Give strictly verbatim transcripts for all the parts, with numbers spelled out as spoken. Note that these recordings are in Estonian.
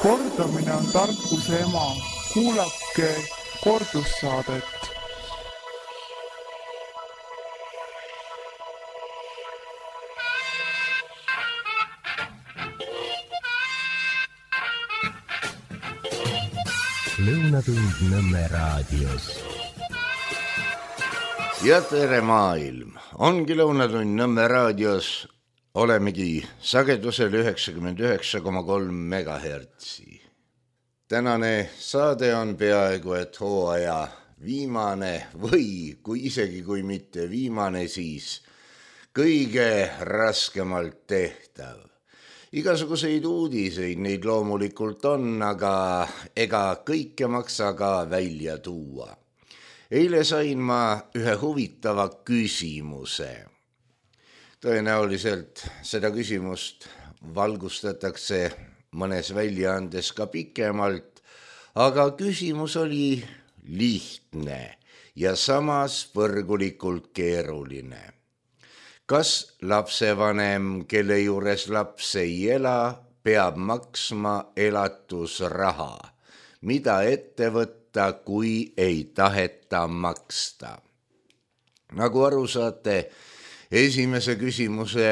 Kordamine on tarkuse ema. Kuulake kordussaadet. Lõunatund Nõmme raadios. Ja tere maailm! Ongi Lõunatund Nõmme raadios. Olemegi sagedusel üheksakümmend üheksa koma kolm megahertsi. Tänane saade on peaaegu et hooaja viimane või kui isegi kui mitte viimane, siis kõige raskemalt tehtav. Igasuguseid uudiseid neid loomulikult on, aga ega kõike maksa ka välja tuua. Eile sain ma ühe huvitava küsimuse. Tõenäoliselt seda küsimust valgustatakse mõnes väljaandes ka pikemalt, aga küsimus oli lihtne ja samas põrgulikult keeruline. Kas lapsevanem, kelle juures laps ei ela, peab maksma elatusraha, mida ette võtta, kui ei taheta maksta? Nagu aru saate, esimese küsimuse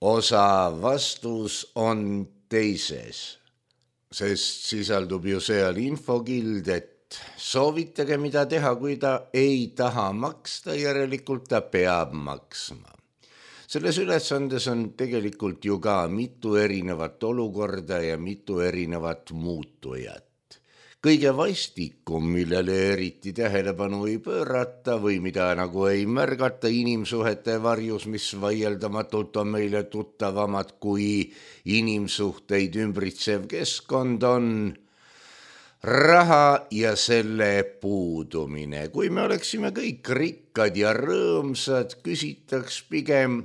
osa vastus on teises, sest sisaldub ju seal infokild, et soovitage mida teha, kui ta ei taha maksta, järelikult ta peab maksma. Selles ülesandes on tegelikult ju ka mitu erinevat olukorda ja mitu erinevat muutujat. Kõige vastikum, millele eriti tähelepanu ei pöörata või mida nagu ei märgata inimsuhete varjus, mis vaieldamatult on meile tuttavamad kui inimsuhteid ümbritsev keskkond, on raha ja selle puudumine. Kui me oleksime kõik rikkad ja rõõmsad, küsitaks pigem,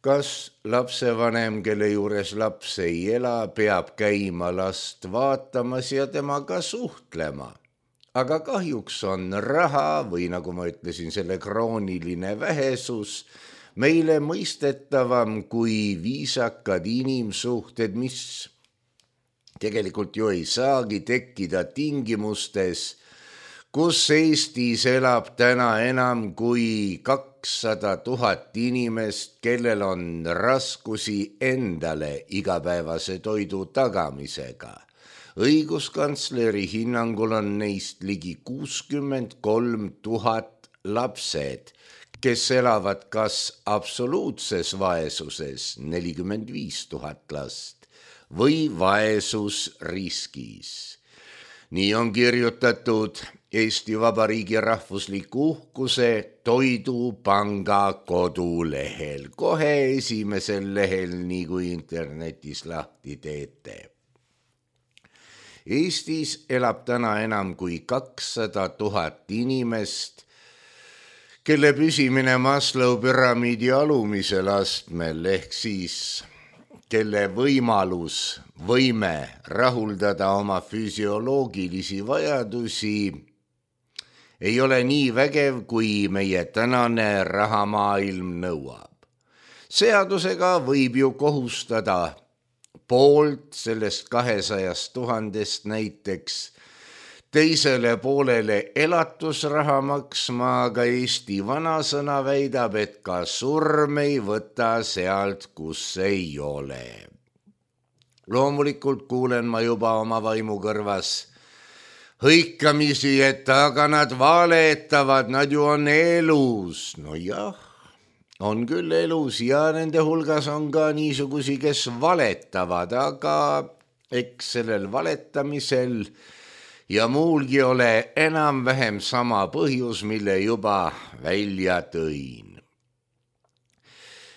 kas lapsevanem, kelle juures laps ei ela, peab käima last vaatamas ja temaga suhtlema. Aga kahjuks on raha või nagu ma ütlesin, selle krooniline vähesus meile mõistetavam kui viisakad inimsuhted, mis tegelikult ju ei saagi tekkida tingimustes, kus Eestis elab täna enam kui kakssada tuhat inimest, kellel on raskusi endale igapäevase toidu tagamisega. Õiguskantsleri hinnangul on neist ligi kuuskümmend kolm tuhat lapsed, kes elavad kas absoluutses vaesuses nelikümmend viis tuhat last või vaesusriskis. Nii on kirjutatud Eesti Vabariigi rahvusliku uhkuse Toidupanga kodulehel, kohe esimesel lehel, nii kui internetis lahti teete. Eestis elab täna enam kui kakssada tuhat inimest, kelle püsimine Maslow püramiidi alumisel astmel ehk siis kelle võimalus, võime rahuldada oma füsioloogilisi vajadusi ei ole nii vägev, kui meie tänane rahamaailm nõuab. Seadusega võib ju kohustada poolt sellest kahesajast tuhandest näiteks teisele poolele elatusraha maksma, aga Eesti vanasõna väidab, et ka surm ei võta sealt, kus ei ole. Loomulikult kuulen ma juba oma vaimu kõrvas hõikamisi, et aga nad valetavad, nad ju on elus. No jah, on küll elus ja nende hulgas on ka niisugusi, kes valetavad, aga eks sellel valetamisel ja muulgi ole enam-vähem sama põhjus, mille juba välja tõin.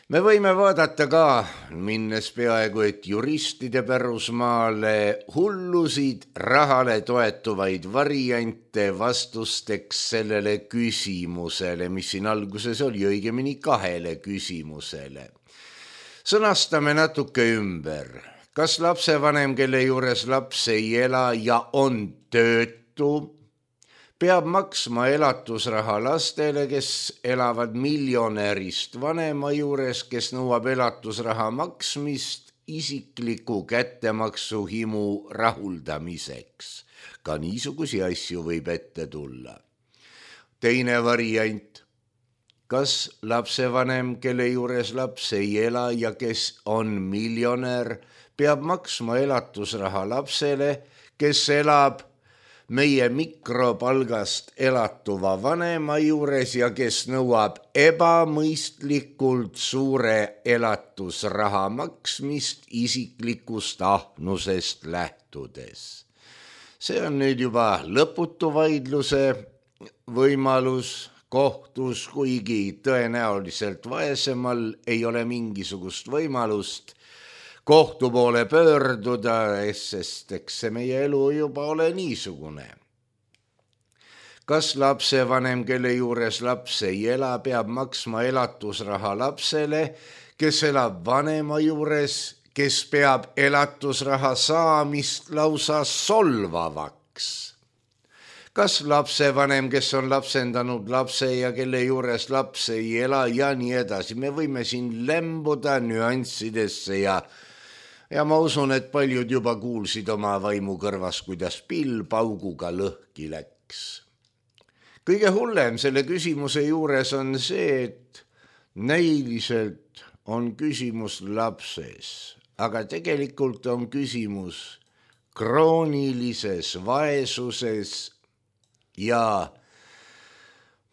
Me võime vaadata ka, minnes peaaegu et juristide pärusmaale, hullusid rahale toetuvaid variante vastusteks sellele küsimusele, mis siin alguses oli, õigemini kahele küsimusele. Sõnastame natuke ümber. Kas lapsevanem, kelle juures laps ei ela ja on töötu, peab maksma elatusraha lastele, kes elavad miljonärist vanema juures, kes nõuab elatusraha maksmist isikliku kättemaksuhimu rahuldamiseks. Ka niisugusi asju võib ette tulla. Teine variant. Kas lapsevanem, kelle juures laps ei ela ja kes on miljonär, peab maksma elatusraha lapsele, kes elab meie mikropalgast elatuva vanema juures ja kes nõuab ebamõistlikult suure elatusraha maksmist isiklikust ahnusest lähtudes. See on nüüd juba lõputu vaidluse võimalus kohtus, kuigi tõenäoliselt vaesemal ei ole mingisugust võimalust kohtu poole pöörduda, sest eks see meie elu juba ole niisugune. Kas lapsevanem, kelle juures laps ei ela, peab maksma elatusraha lapsele, kes elab vanema juures, kes peab elatusraha saamist lausa solvavaks? Kas lapsevanem, kes on lapsendanud lapse ja kelle juures laps ei ela ja nii edasi? Me võime siin lembuda nüanssidesse ja Ja ma usun, et paljud juba kuulsid oma vaimu kõrvas, kuidas pill pauguga lõhki läks. Kõige hullem selle küsimuse juures on see, et näiliselt on küsimus lapses, aga tegelikult on küsimus kroonilises vaesuses ja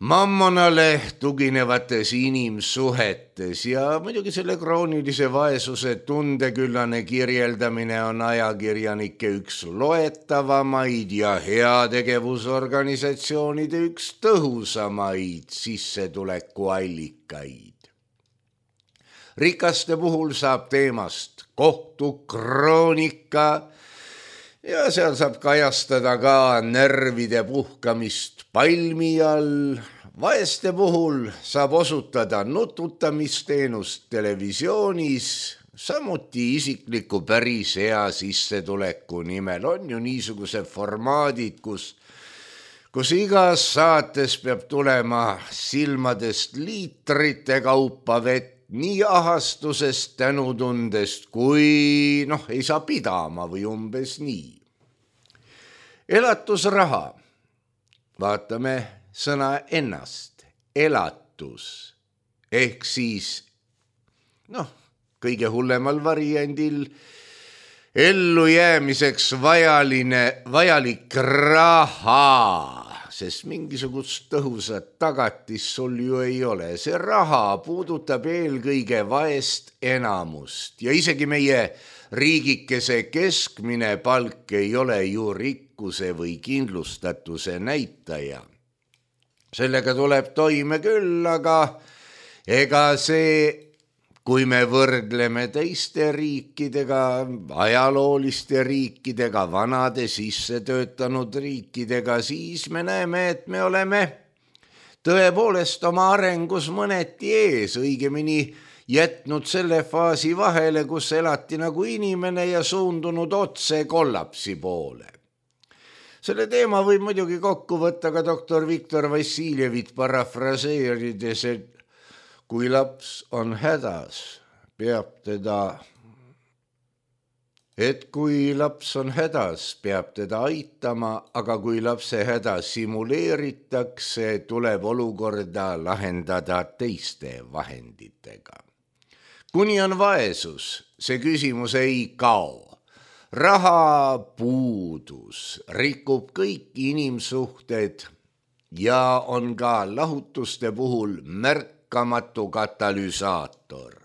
mammonale tuginevates inimsuhetes ja muidugi selle kroonilise vaesuse tundeküllane kirjeldamine on ajakirjanike üks loetavamaid ja heategevusorganisatsioonide üks tõhusamaid sissetulekuallikaid. Rikaste puhul saab teemast kohtukroonika ja seal saab kajastada ka närvide puhkamist palmi all. Vaeste puhul saab osutada nututamisteenust televisioonis, samuti isikliku päris hea sissetuleku nimel. On ju niisugused formaadid, kus, kus igas saates peab tulema silmadest liitrite kaupa vett, nii ahastusest, tänutundest, kui noh, ei saa pidama või umbes nii. Elatusraha. Vaatame sõna ennast. Elatus. Ehk siis, noh, kõige hullemal variandil ellu jäämiseks vajaline, vajalik raha, sest mingisugust tõhusat tagatis sul ju ei ole. See raha puudutab eelkõige vaest enamust ja isegi meie riigikese keskmine palk ei ole ju rikkuse või kindlustatuse näitaja. Sellega tuleb toime küll, aga ega see, kui me võrdleme teiste riikidega, ajalooliste riikidega, vanade sisse töötanud riikidega, siis me näeme, et me oleme tõepoolest oma arengus mõneti ees, õigemini jätnud selle faasi vahele, kus elati nagu inimene ja suundunud otse kollapsi poole. Selle teema võib muidugi kokku võtta ka doktor Viktor Vassiljevit parafraseerides, et kui laps on hädas, peab teda, et kui laps on hädas, peab teda aitama, aga kui lapse häda simuleeritakse, tuleb olukorda lahendada teiste vahenditega. Kuni on vaesus, see küsimus ei kao. Raha puudus rikub kõik inimsuhted ja on ka lahutuste puhul märkamatu katalüsaator.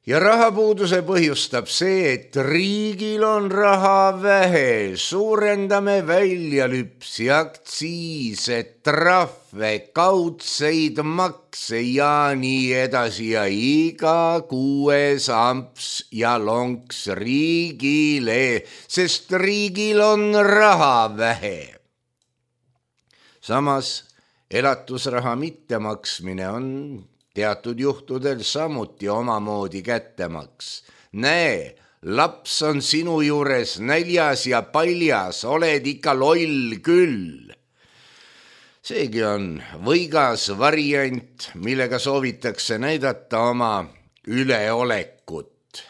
Ja rahapuuduse põhjustab see, et riigil on raha vähe, suurendame väljalüpsi, aktsiise, trahve, kaudseid makse ja nii edasi ja iga kuues amps ja lonks riigile, sest riigil on raha vähe. Samas elatusraha mittemaksmine on teatud juhtudel samuti omamoodi kättemaks. Näe, laps on sinu juures näljas ja paljas, oled ikka loll küll. Seegi on võigas variant, millega soovitakse näidata oma üleolekut.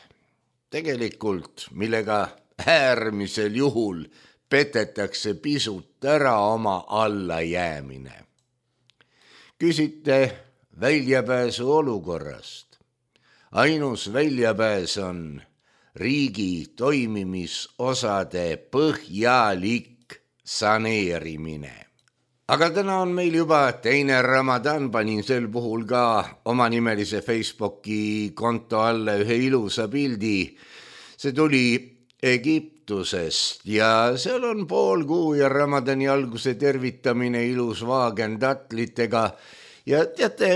tegelikult, millega äärmisel juhul petetakse pisut ära oma allajäämine. Küsite väljapääsu olukorrast. Ainus väljapääs on riigi toimimisosade põhjalik saneerimine. Aga täna on meil juba teine Ramadan, panin sel puhul ka omanimelise Facebooki konto alla ühe ilusa pildi. See tuli Egiptusest ja seal on pool kuu ja Ramadani alguse tervitamine ilus vaagen tatlitega ja teate,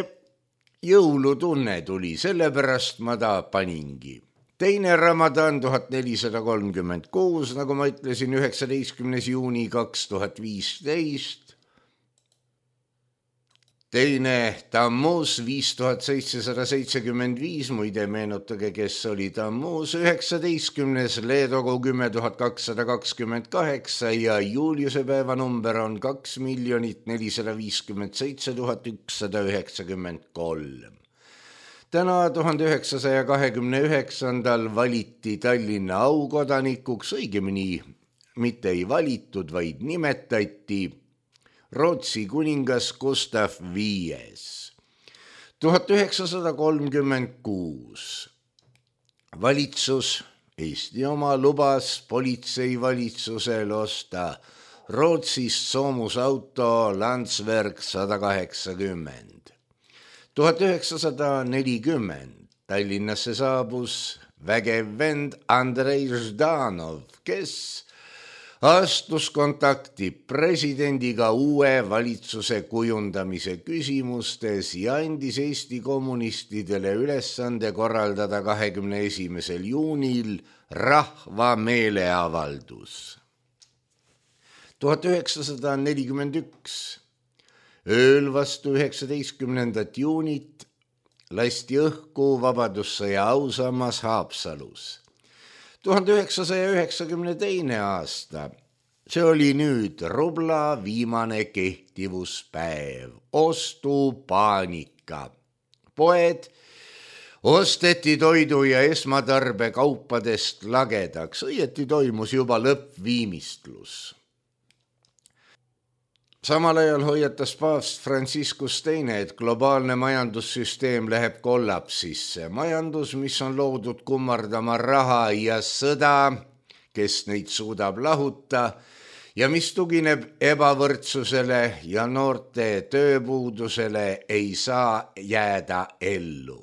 jõulutunne tuli, sellepärast ma ta paningi. Teine Ramadan tuhat nelisada kolmkümmend kuus, nagu ma ütlesin, üheksateistkümnes juuni kaks tuhat viisteist. Teine Tammuz viis tuhat seitsesada seitsekümmend viis, muide meenutage, kes oli Tammuz, üheksateistkümnes Leedogu kümme tuhat kakssada kakskümmend kaheksa ja Juliuse päeva number on kaks miljonit nelisada viiskümmend seitse tuhat ükssada üheksakümmend kolm. Täna tuhande üheksasaja kahekümne üheksandal valiti Tallinna aukodanikuks, õigemini mitte ei valitud, vaid nimetati Rootsi kuningas Gustav viies. tuhat üheksasada kolmkümmend kuus. Valitsus, Eesti oma, lubas politseivalitsusel osta Rootsist soomusauto Landsberg sada kaheksakümmend. tuhat üheksasada nelikümmend Tallinnasse saabus vägev vend Andrei Ždanov, kes astus kontakti presidendiga uue valitsuse kujundamise küsimustes ja andis Eesti kommunistidele ülesande korraldada kahekümne esimesel juunil rahva meeleavaldus. tuhat üheksasada nelikümmend üks. Ööl vastu üheksateistkümnendat juunit lasti õhku Vabadussõja ausammas Haapsalus. tuhande üheksasaja üheksakümne teine aasta, see oli nüüd rubla viimane kehtivuspäev, ostupaanika. Poed osteti toidu ja esmatarbekaupadest lagedaks, õieti toimus juba lõppviimistlus. Samal ajal hoiatas paavst Franciscus teine, et globaalne majandussüsteem läheb kollapsisse. Majandus, mis on loodud kummardama raha ja sõda, kes neid suudab lahuta ja mis tugineb ebavõrdsusele ja noorte tööpuudusele, ei saa jääda ellu.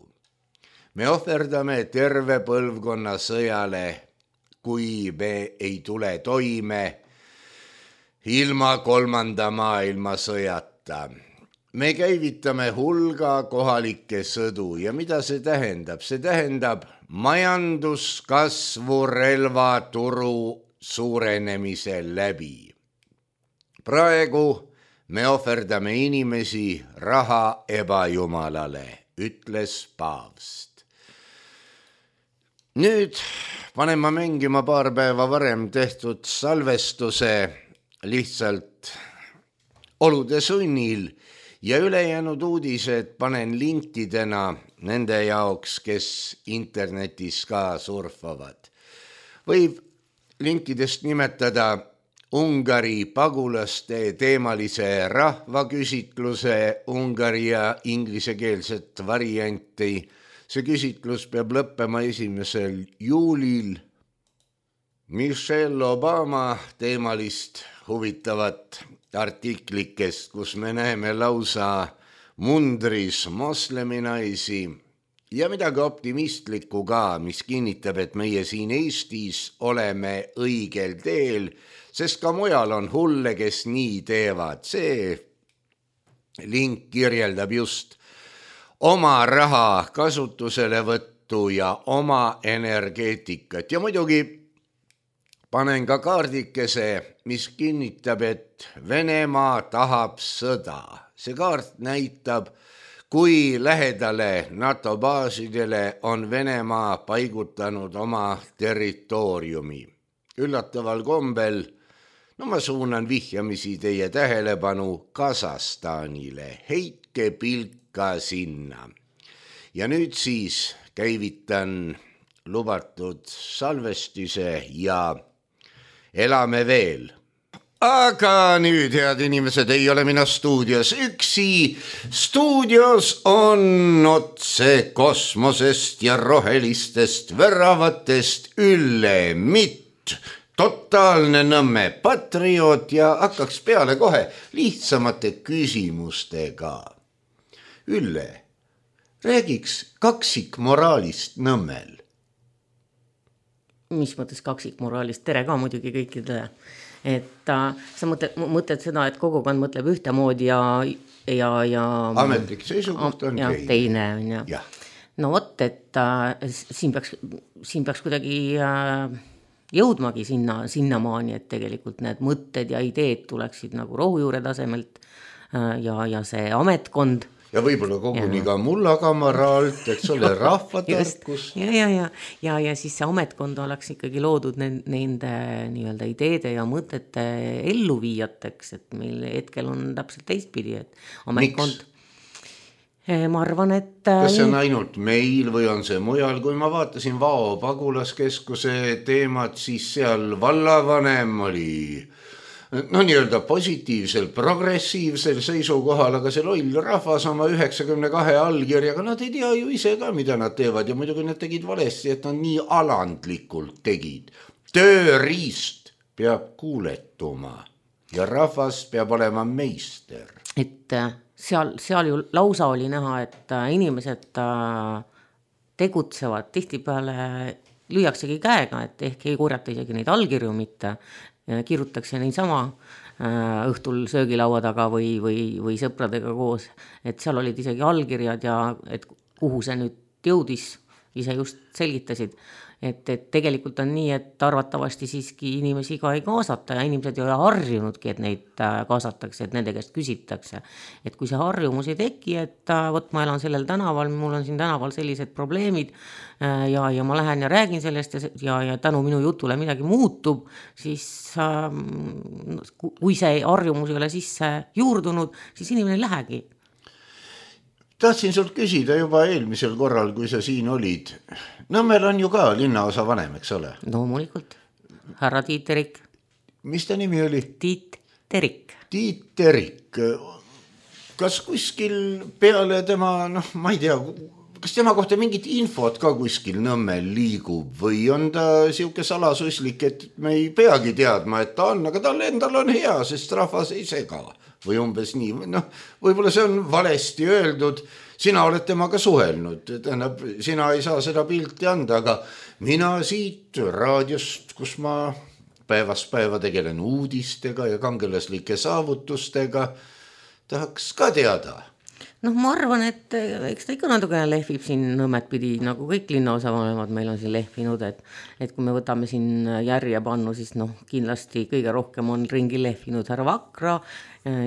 Me ohverdame terve põlvkonna sõjale, kui me ei tule toime ilma kolmanda maailmasõjata. Me käivitame hulga kohalikke sõdu ja mida see tähendab? See tähendab majanduskasvu relvaturu suurenemise läbi. Praegu me ohverdame inimesi raha ebajumalale, ütles paavst. Nüüd panen ma mängima paar päeva varem tehtud salvestuse lihtsalt olude sunnil ja ülejäänud uudised panen linkidena nende jaoks, kes internetis ka surfavad. Võib linkidest nimetada Ungari pagulaste teemalise rahvaküsitluse Ungari ja inglisekeelset varianti. See küsitlus peab lõppema esimesel juulil. Michelle Obama teemalist huvitavat artiklikest, kus me näeme lausa mundris mosleminaisi ja midagi optimistlikku ka, mis kinnitab, et meie siin Eestis oleme õigel teel, sest ka mujal on hulle, kes nii teevad. See link kirjeldab just oma raha kasutuselevõttu ja oma energeetikat ja muidugi panen ka kaardikese, mis kinnitab, et Venemaa tahab sõda. See kaart näitab, kui lähedale NATO baasidele on Venemaa paigutanud oma territooriumi. Üllataval kombel, no ma suunan vihjamisi teie tähelepanu Kasahstanile, heitke pilka sinna. Ja nüüd siis käivitan lubatud salvestise ja elame veel. Aga nüüd, head inimesed, ei ole mina stuudios üksi. Stuudios on otse kosmosest ja rohelistest väravatest Ülle Mitt, totaalne Nõmme patrioot ja hakkaks peale kohe lihtsamate küsimustega. Ülle, räägiks kaksikmoraalist Nõmmel. Mis mõttes kaksikmoraalist? Tere ka muidugi kõikidele. Et äh, sa mõtled, mõtled seda, et kogukond mõtleb ühtemoodi ja, ja, ja ametlik seisukoht on ja, teine. teine on, ja. Ja. No vot, et äh, siin, peaks, siin peaks kuidagi äh, jõudmagi sinna, sinnamaani, et tegelikult need mõtted ja ideed tuleksid nagu rohujuure tasemelt äh, ja, ja see ametkond ja võib-olla koguni ka mullakamaraalt, eks ole, rahvatarkus. ja, ja, ja, ja, ja siis see ametkond oleks ikkagi loodud nende, nende nii-öelda ideede ja mõtete elluviijateks, et meil hetkel on täpselt teistpidi, et ametkond. Miks? Ma arvan, et... Kas see on ainult meil või on see mujal? Kui ma vaatasin Vao pagulaskeskuse teemat, siis seal vallavanem oli... no nii-öelda positiivsel, progressiivsel seisukohal, aga see loll rahvas oma üheksakümne kahe allkirjaga, nad ei tea ju ise ka, mida nad teevad ja muidugi nad tegid valesti, et nad nii alandlikult tegid. Tööriist peab kuuletuma ja rahvas peab olema meister. Et seal, seal ju lausa oli näha, et inimesed tegutsevad tihtipeale lüüaksegi käega, et ehk ei korjata isegi neid allkirju mitte, kirjutakse niisama õhtul söögilaua taga või, või, või sõpradega koos, et seal olid isegi allkirjad ja et kuhu see nüüd jõudis, ise just selgitasid, et, et tegelikult on nii, et arvatavasti siiski inimesi ka ei kaasata ja inimesed ei ole harjunudki, et neid kaasatakse, et nende käest küsitakse. Et kui see harjumus ei teki, et võt ma elan sellel tänaval, mul on siin tänaval sellised probleemid ja, ja ma lähen ja räägin sellest ja, ja, ja tänu minu jutule midagi muutub, siis kui see harjumus ei ole sisse juurdunud, siis inimene ei lähegi. Tahtsin sult küsida juba eelmisel korral, kui sa siin olid. Nõmmel on ju ka linnaosa vanem, eks ole? No muidugi, härra Tiit Terik. Mis ta nimi oli? Tiit Terik. Tiit Terik. Kas kuskil peale tema, noh, ma ei tea, kas tema kohta mingit infot ka kuskil Nõmmel liigub või on ta siuke salasuslik, et me ei peagi teadma, et ta on, aga tal endal on hea, sest rahvas ei sega. Või umbes nii, noh, võib-olla see on valesti öeldud, sina oled temaga suhelnud, tähendab, sina ei saa seda pilti anda, aga mina siit raadiost, kus ma päevast päeva tegelen uudistega ja kangelaslike saavutustega, tahaks ka teada. Noh, ma arvan, et eks ta ikka natukene lehvib siin Nõmmet pidi, nagu kõik linnaosavanemad meil on siin lehvinud, et, et kui me võtame siin järje pannu, siis noh, kindlasti kõige rohkem on ringi lehvinud härra Vakra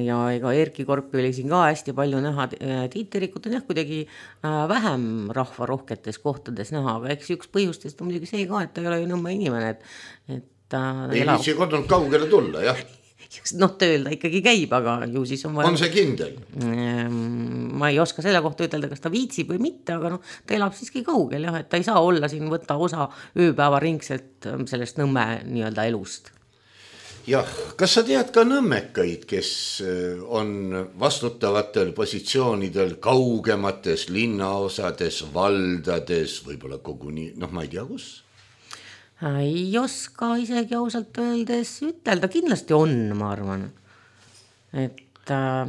ja ega Erki Korpi oli siin ka hästi palju näha. Tiit Terikut on jah kuidagi vähem rahva rohketes kohtades näha, aga eks üks põhjustest on muidugi see ka, et ta ei ole ju Nõmme inimene, et, et ei elab... viitsi kodunud kaugele tulla, jah. Noh, tööl ta ikkagi käib, aga ju siis on vaja... On see kindel? Ma ei oska selle kohta ütelda, kas ta viitsib või mitte, aga noh, ta elab siiski kaugel, jah, et ta ei saa olla siin, võtta osa ööpäeva ringselt sellest Nõmme nii-öelda elust. Jah, kas sa tead ka nõmmekaid, kes on vastutavatel positsioonidel kaugemates linnaosades, valdades, võib-olla koguni, noh, ma ei tea kus? Ei oska isegi ausalt öeldes ütelda, kindlasti on, ma arvan. Et äh,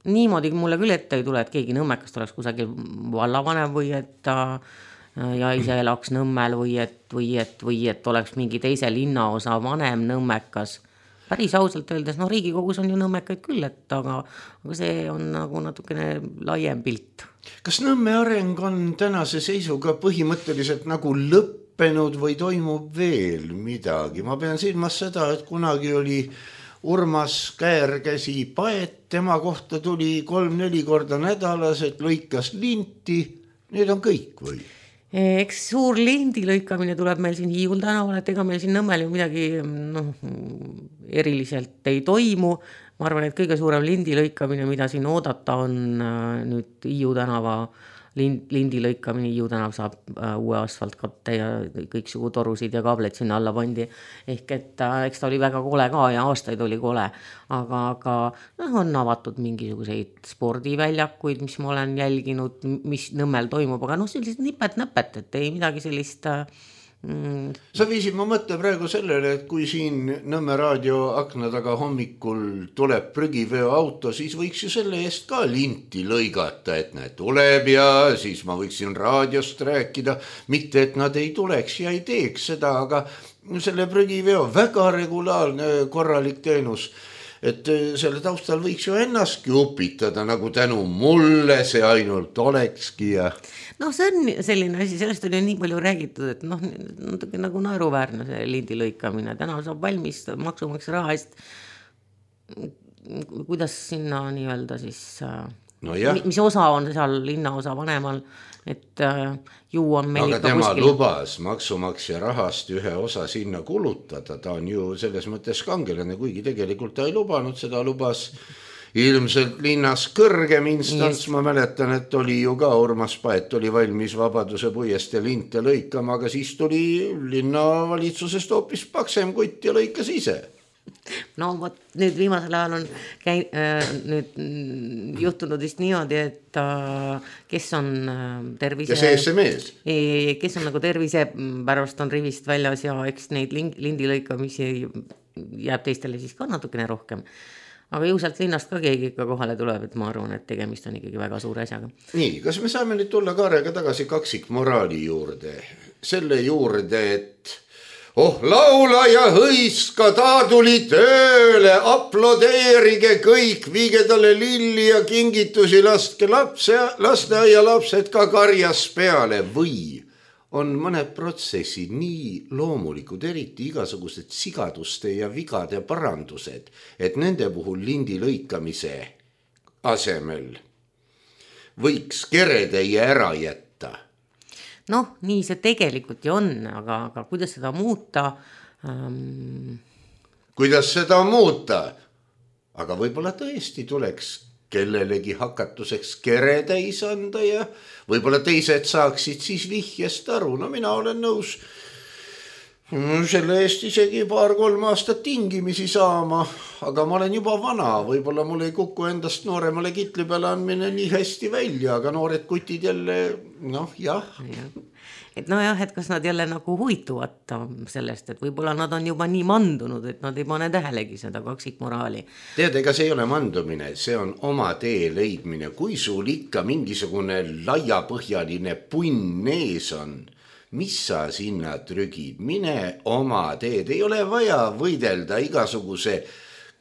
niimoodi mulle küll ette ei tule, et keegi Nõmmekast oleks kusagil vallavanem või et äh, ja ise elaks Nõmmel või et, või, et, või et oleks mingi teise linnaosa vanem Nõmmekas. Päris ausalt öeldes, no Riigikogus on ju Nõmmekaid küll, et, aga, aga see on nagu natukene laiem pilt. Kas Nõmme areng on tänase seisuga põhimõtteliselt nagu lõpp või toimub veel midagi? Ma pean silmas seda, et kunagi oli Urmas Käärkäsi paet, tema kohta tuli kolm-neli korda nädalas, et lõikas linti, need on kõik või? Eks suur lindi lõikamine tuleb meil siin Hiiul tänaval, et ega meil siin Nõmmel ju midagi noh, eriliselt ei toimu. Ma arvan, et kõige suurem lindi lõikamine, mida siin oodata on nüüd Hiiu tänava lind, lindi lõikamine, Hiiu tänav saab äh, uue asfaltkatte ja kõiksugu torusid ja kaableid sinna alla pandi. Ehk et äh, eks ta oli väga kole ka ja aastaid oli kole, aga, aga noh, on avatud mingisuguseid spordiväljakuid, mis ma olen jälginud, mis Nõmmel toimub, aga noh, sellised nipet-näpet, et ei midagi sellist äh, Mm. Sa viisid ma mõtte praegu sellele, et kui siin Nõmme raadio akna taga hommikul tuleb prügiveoauto, siis võiks ju selle eest ka linti lõigata, et näed tuleb ja siis ma võiksin raadiost rääkida, mitte et nad ei tuleks ja ei teeks seda, aga selle prügiveo väga regulaarne korralik teenus, et selle taustal võiks ju ennastki upitada, nagu tänu mulle see ainult olekski ja noh, see on selline asi, sellest oli nii palju räägitud, et noh, natuke nagu naeruväärne see lindi lõikamine, täna saab valmis maksumaksja raha eest, kuidas sinna nii-öelda siis no mis osa on seal linnaosa vanemal, et ju on meil aga tema kuskil... lubas maksumaksja rahast ühe osa sinna kulutada, ta on ju selles mõttes kangelane, kuigi tegelikult ta ei lubanud, seda lubas ilmselt linnas kõrgem instants, ma mäletan, et oli ju ka Urmas Paet oli valmis Vabaduse puiestee linte lõikama, aga siis tuli linnavalitsusest hoopis paksem kutt ja lõikas ise. No vot, nüüd viimasel ajal on käi, äh, nüüd juhtunud vist niimoodi, et äh, kes on äh, tervise... Kes ees see mees? Ei, kes on nagu tervise pärast on rivist väljas ja eks neid lindi lõikamisi jääb teistele siis ka natukene rohkem. Aga ju sealt linnast ka keegi ikka kohale tuleb, et ma arvan, et tegemist on ikkagi väga suure asjaga. Nii, kas me saame nüüd tulla Kaarega tagasi kaksikmoraali juurde? Selle juurde, et oh, laula ja hõiska, ta tuli tööle, aplodeerige kõik, viige talle lilli ja kingitusi, laske lapse, lasteaia lapsed ka karjas peale või on mõned protsessid nii loomulikud, eriti igasugused sigaduste ja vigade parandused, et nende puhul lindi lõikamise asemel võiks keretäie ära jätta. Noh, nii see tegelikult ju on, aga, aga kuidas seda muuta? Ähm... Kuidas seda muuta? Aga võib-olla tõesti tuleks kellelegi hakatuseks keretäis anda ja võib-olla teised saaksid siis vihjest aru. No mina olen nõus selle eest isegi paar-kolm aastat tingimisi saama, aga ma olen juba vana, võib-olla mul ei kuku endast nooremale kitli peale andmine nii hästi välja, aga noored kutid jälle, noh jah. Ja. Et no jah, et kas nad jälle nagu huvituvad sellest, et võib-olla nad on juba nii mandunud, et nad ei pane tähelegi seda kaksikmoraali. Tead, ega see ei ole mandumine, see on oma tee leidmine. Kui sul ikka mingisugune laiapõhjaline punn ees on, mis sa sinna trügid? Mine oma teed, ei ole vaja võidelda igasuguse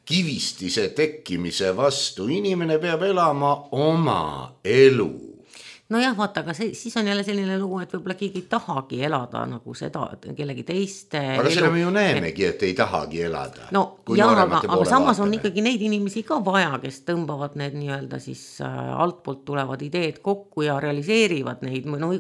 kivistise tekkimise vastu. Inimene peab elama oma elu. No jah, vaata, aga see, siis on jälle selline lugu, et võib-olla keegi ei tahagi elada nagu seda, kellegi teiste aga elu. Seda me ju näemegi, et ei tahagi elada. No jah, aga, aga samas vaatame. On ikkagi neid inimesi ka vaja, kes tõmbavad need nii-öelda siis äh, altpoolt tulevad ideed kokku ja realiseerivad neid, no,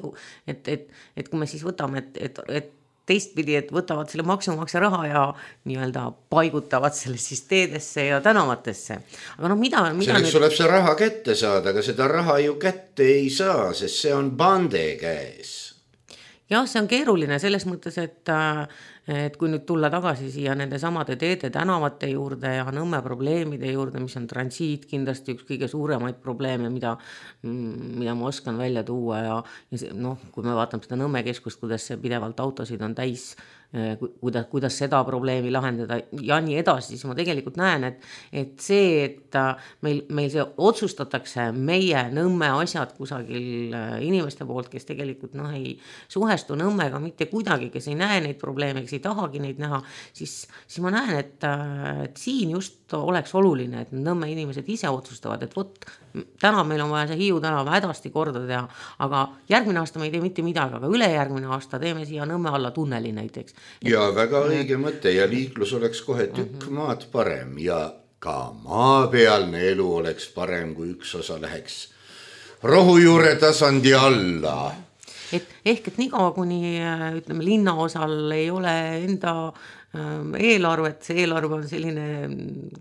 et, et, et kui me siis võtame, et, et, et teistpidi, et võtavad selle maksumaksja raha ja nii-öelda paigutavad selle siis teedesse ja tänavatesse. Aga noh, mida... mida selleks nüüd... tuleb see raha kätte saada, aga seda raha ju kätte ei saa, sest see on bande käes. Jah, see on keeruline selles mõttes, et, et kui nüüd tulla tagasi siia nende samade teede tänavate juurde ja Nõmme probleemide juurde, mis on transiit kindlasti üks kõige suuremaid probleeme, mida, mida ma oskan välja tuua ja, ja see, noh, kui me vaatame seda Nõmme keskust, kuidas see pidevalt autosid on täis, kuidas, kuidas seda probleemi lahendada ja nii edasi, siis ma tegelikult näen, et, et see, et meil, meil see otsustatakse meie Nõmme asjad kusagil inimeste poolt, kes tegelikult noh, ei suhestu Nõmmega mitte kuidagi, kes ei näe neid probleeme, kes ei tahagi neid näha, siis, siis ma näen, et, et siin just oleks oluline, et Nõmme inimesed ise otsustavad, et vot, täna meil on vaja see Hiiu tänav hädasti korda teha, aga järgmine aasta me ei tee mitte midagi, aga ülejärgmine aasta teeme siia Nõmme alla tunneli näiteks. Ja väga õige mõte ja liiklus oleks kohe tükk maad parem ja ka maapealne elu oleks parem, kui üks osa läheks rohujuure tasandi alla. Et ehk, et niikaua kuni ütleme, linnaosal ei ole enda eelarvet, see eelarve on selline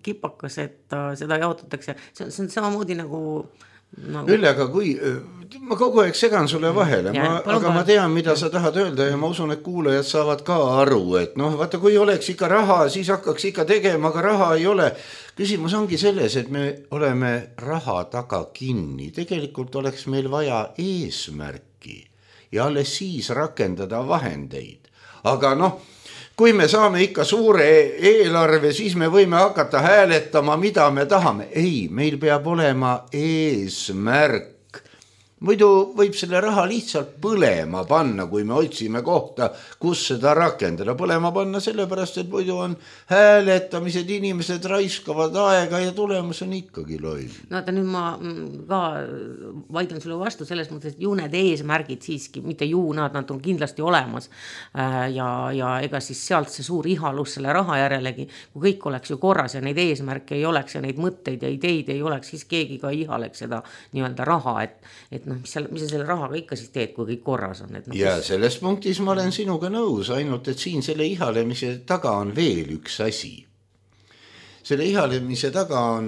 kipakas, et seda jaotatakse, see on, see on samamoodi nagu no, Ülle, aga kui ma kogu aeg segan sulle vahele, ja, ma, aga ma tean, mida sa tahad öelda ja ma usun, et kuulajad saavad ka aru, et noh, vaata, kui oleks ikka raha, siis hakkaks ikka tegema, aga raha ei ole. Küsimus ongi selles, et me oleme raha taga kinni. Tegelikult oleks meil vaja eesmärki ja alles siis rakendada vahendeid. Aga noh, kui me saame ikka suure eelarve, siis me võime hakata hääletama, mida me tahame. Ei, meil peab olema eesmärk. Muidu võib selle raha lihtsalt põlema panna, kui me otsime kohta, kus seda rakendada. Põlema panna sellepärast, et muidu on hääletamised, inimesed raiskavad aega ja tulemus on ikkagi loll. No ta nüüd ma ka vaidlen sulle vastu selles mõttes, et ju need eesmärgid siiski, mitte ju nad, nad on kindlasti olemas. Ja, ja ega siis sealt see suur ihalus selle raha järelegi, kui kõik oleks ju korras ja neid eesmärke ei oleks ja neid mõtteid ja ideid ei oleks, siis keegi ka ihaleks seda nii-öelda raha, et, et noh, mis, seal, mis sa selle rahaga ikka siis teed, kui kõik korras on. Et no, ja kes... selles punktis ma olen sinuga nõus, ainult et siin selle ihalemise taga on veel üks asi. Selle ihalemise taga on,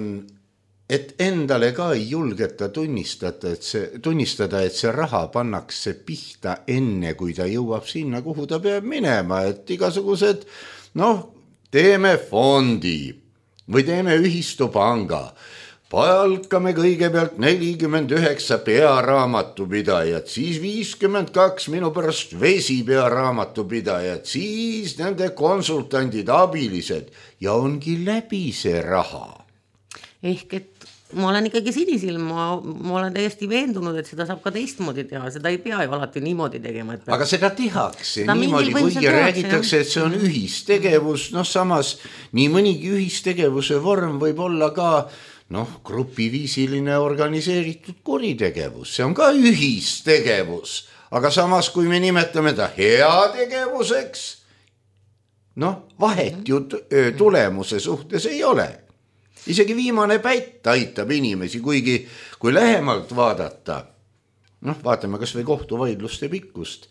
et endale ka ei julgeta tunnistada, et see, tunnistada, et see raha pannakse pihta enne, kui ta jõuab sinna, kuhu ta peab minema, et igasugused, noh, teeme fondi või teeme ühistupanga. Palkame kõigepealt nelikümmend üheksa pearaamatupidajat, siis viiskümmend kaks minu pärast vesi pearaamatupidajat, siis nende konsultandid, abilised ja ongi läbi see raha. Ehk et ma olen ikkagi sinisilm, ma, ma olen täiesti veendunud, et seda saab ka teistmoodi teha, seda ei pea ju alati niimoodi tegema. Et aga seda tehakse seda niimoodi, kui räägitakse, et see on ühistegevus, noh samas nii mõnigi ühistegevuse vorm võib olla ka noh, grupiviisiline organiseeritud kuritegevus, see on ka ühistegevus, aga samas kui me nimetame ta heategevuseks, noh, vahet ju tulemuse suhtes ei ole. Isegi viimane pätt aitab inimesi, kuigi kui lähemalt vaadata, noh, vaatame kas või kohtuvaidluste pikkust,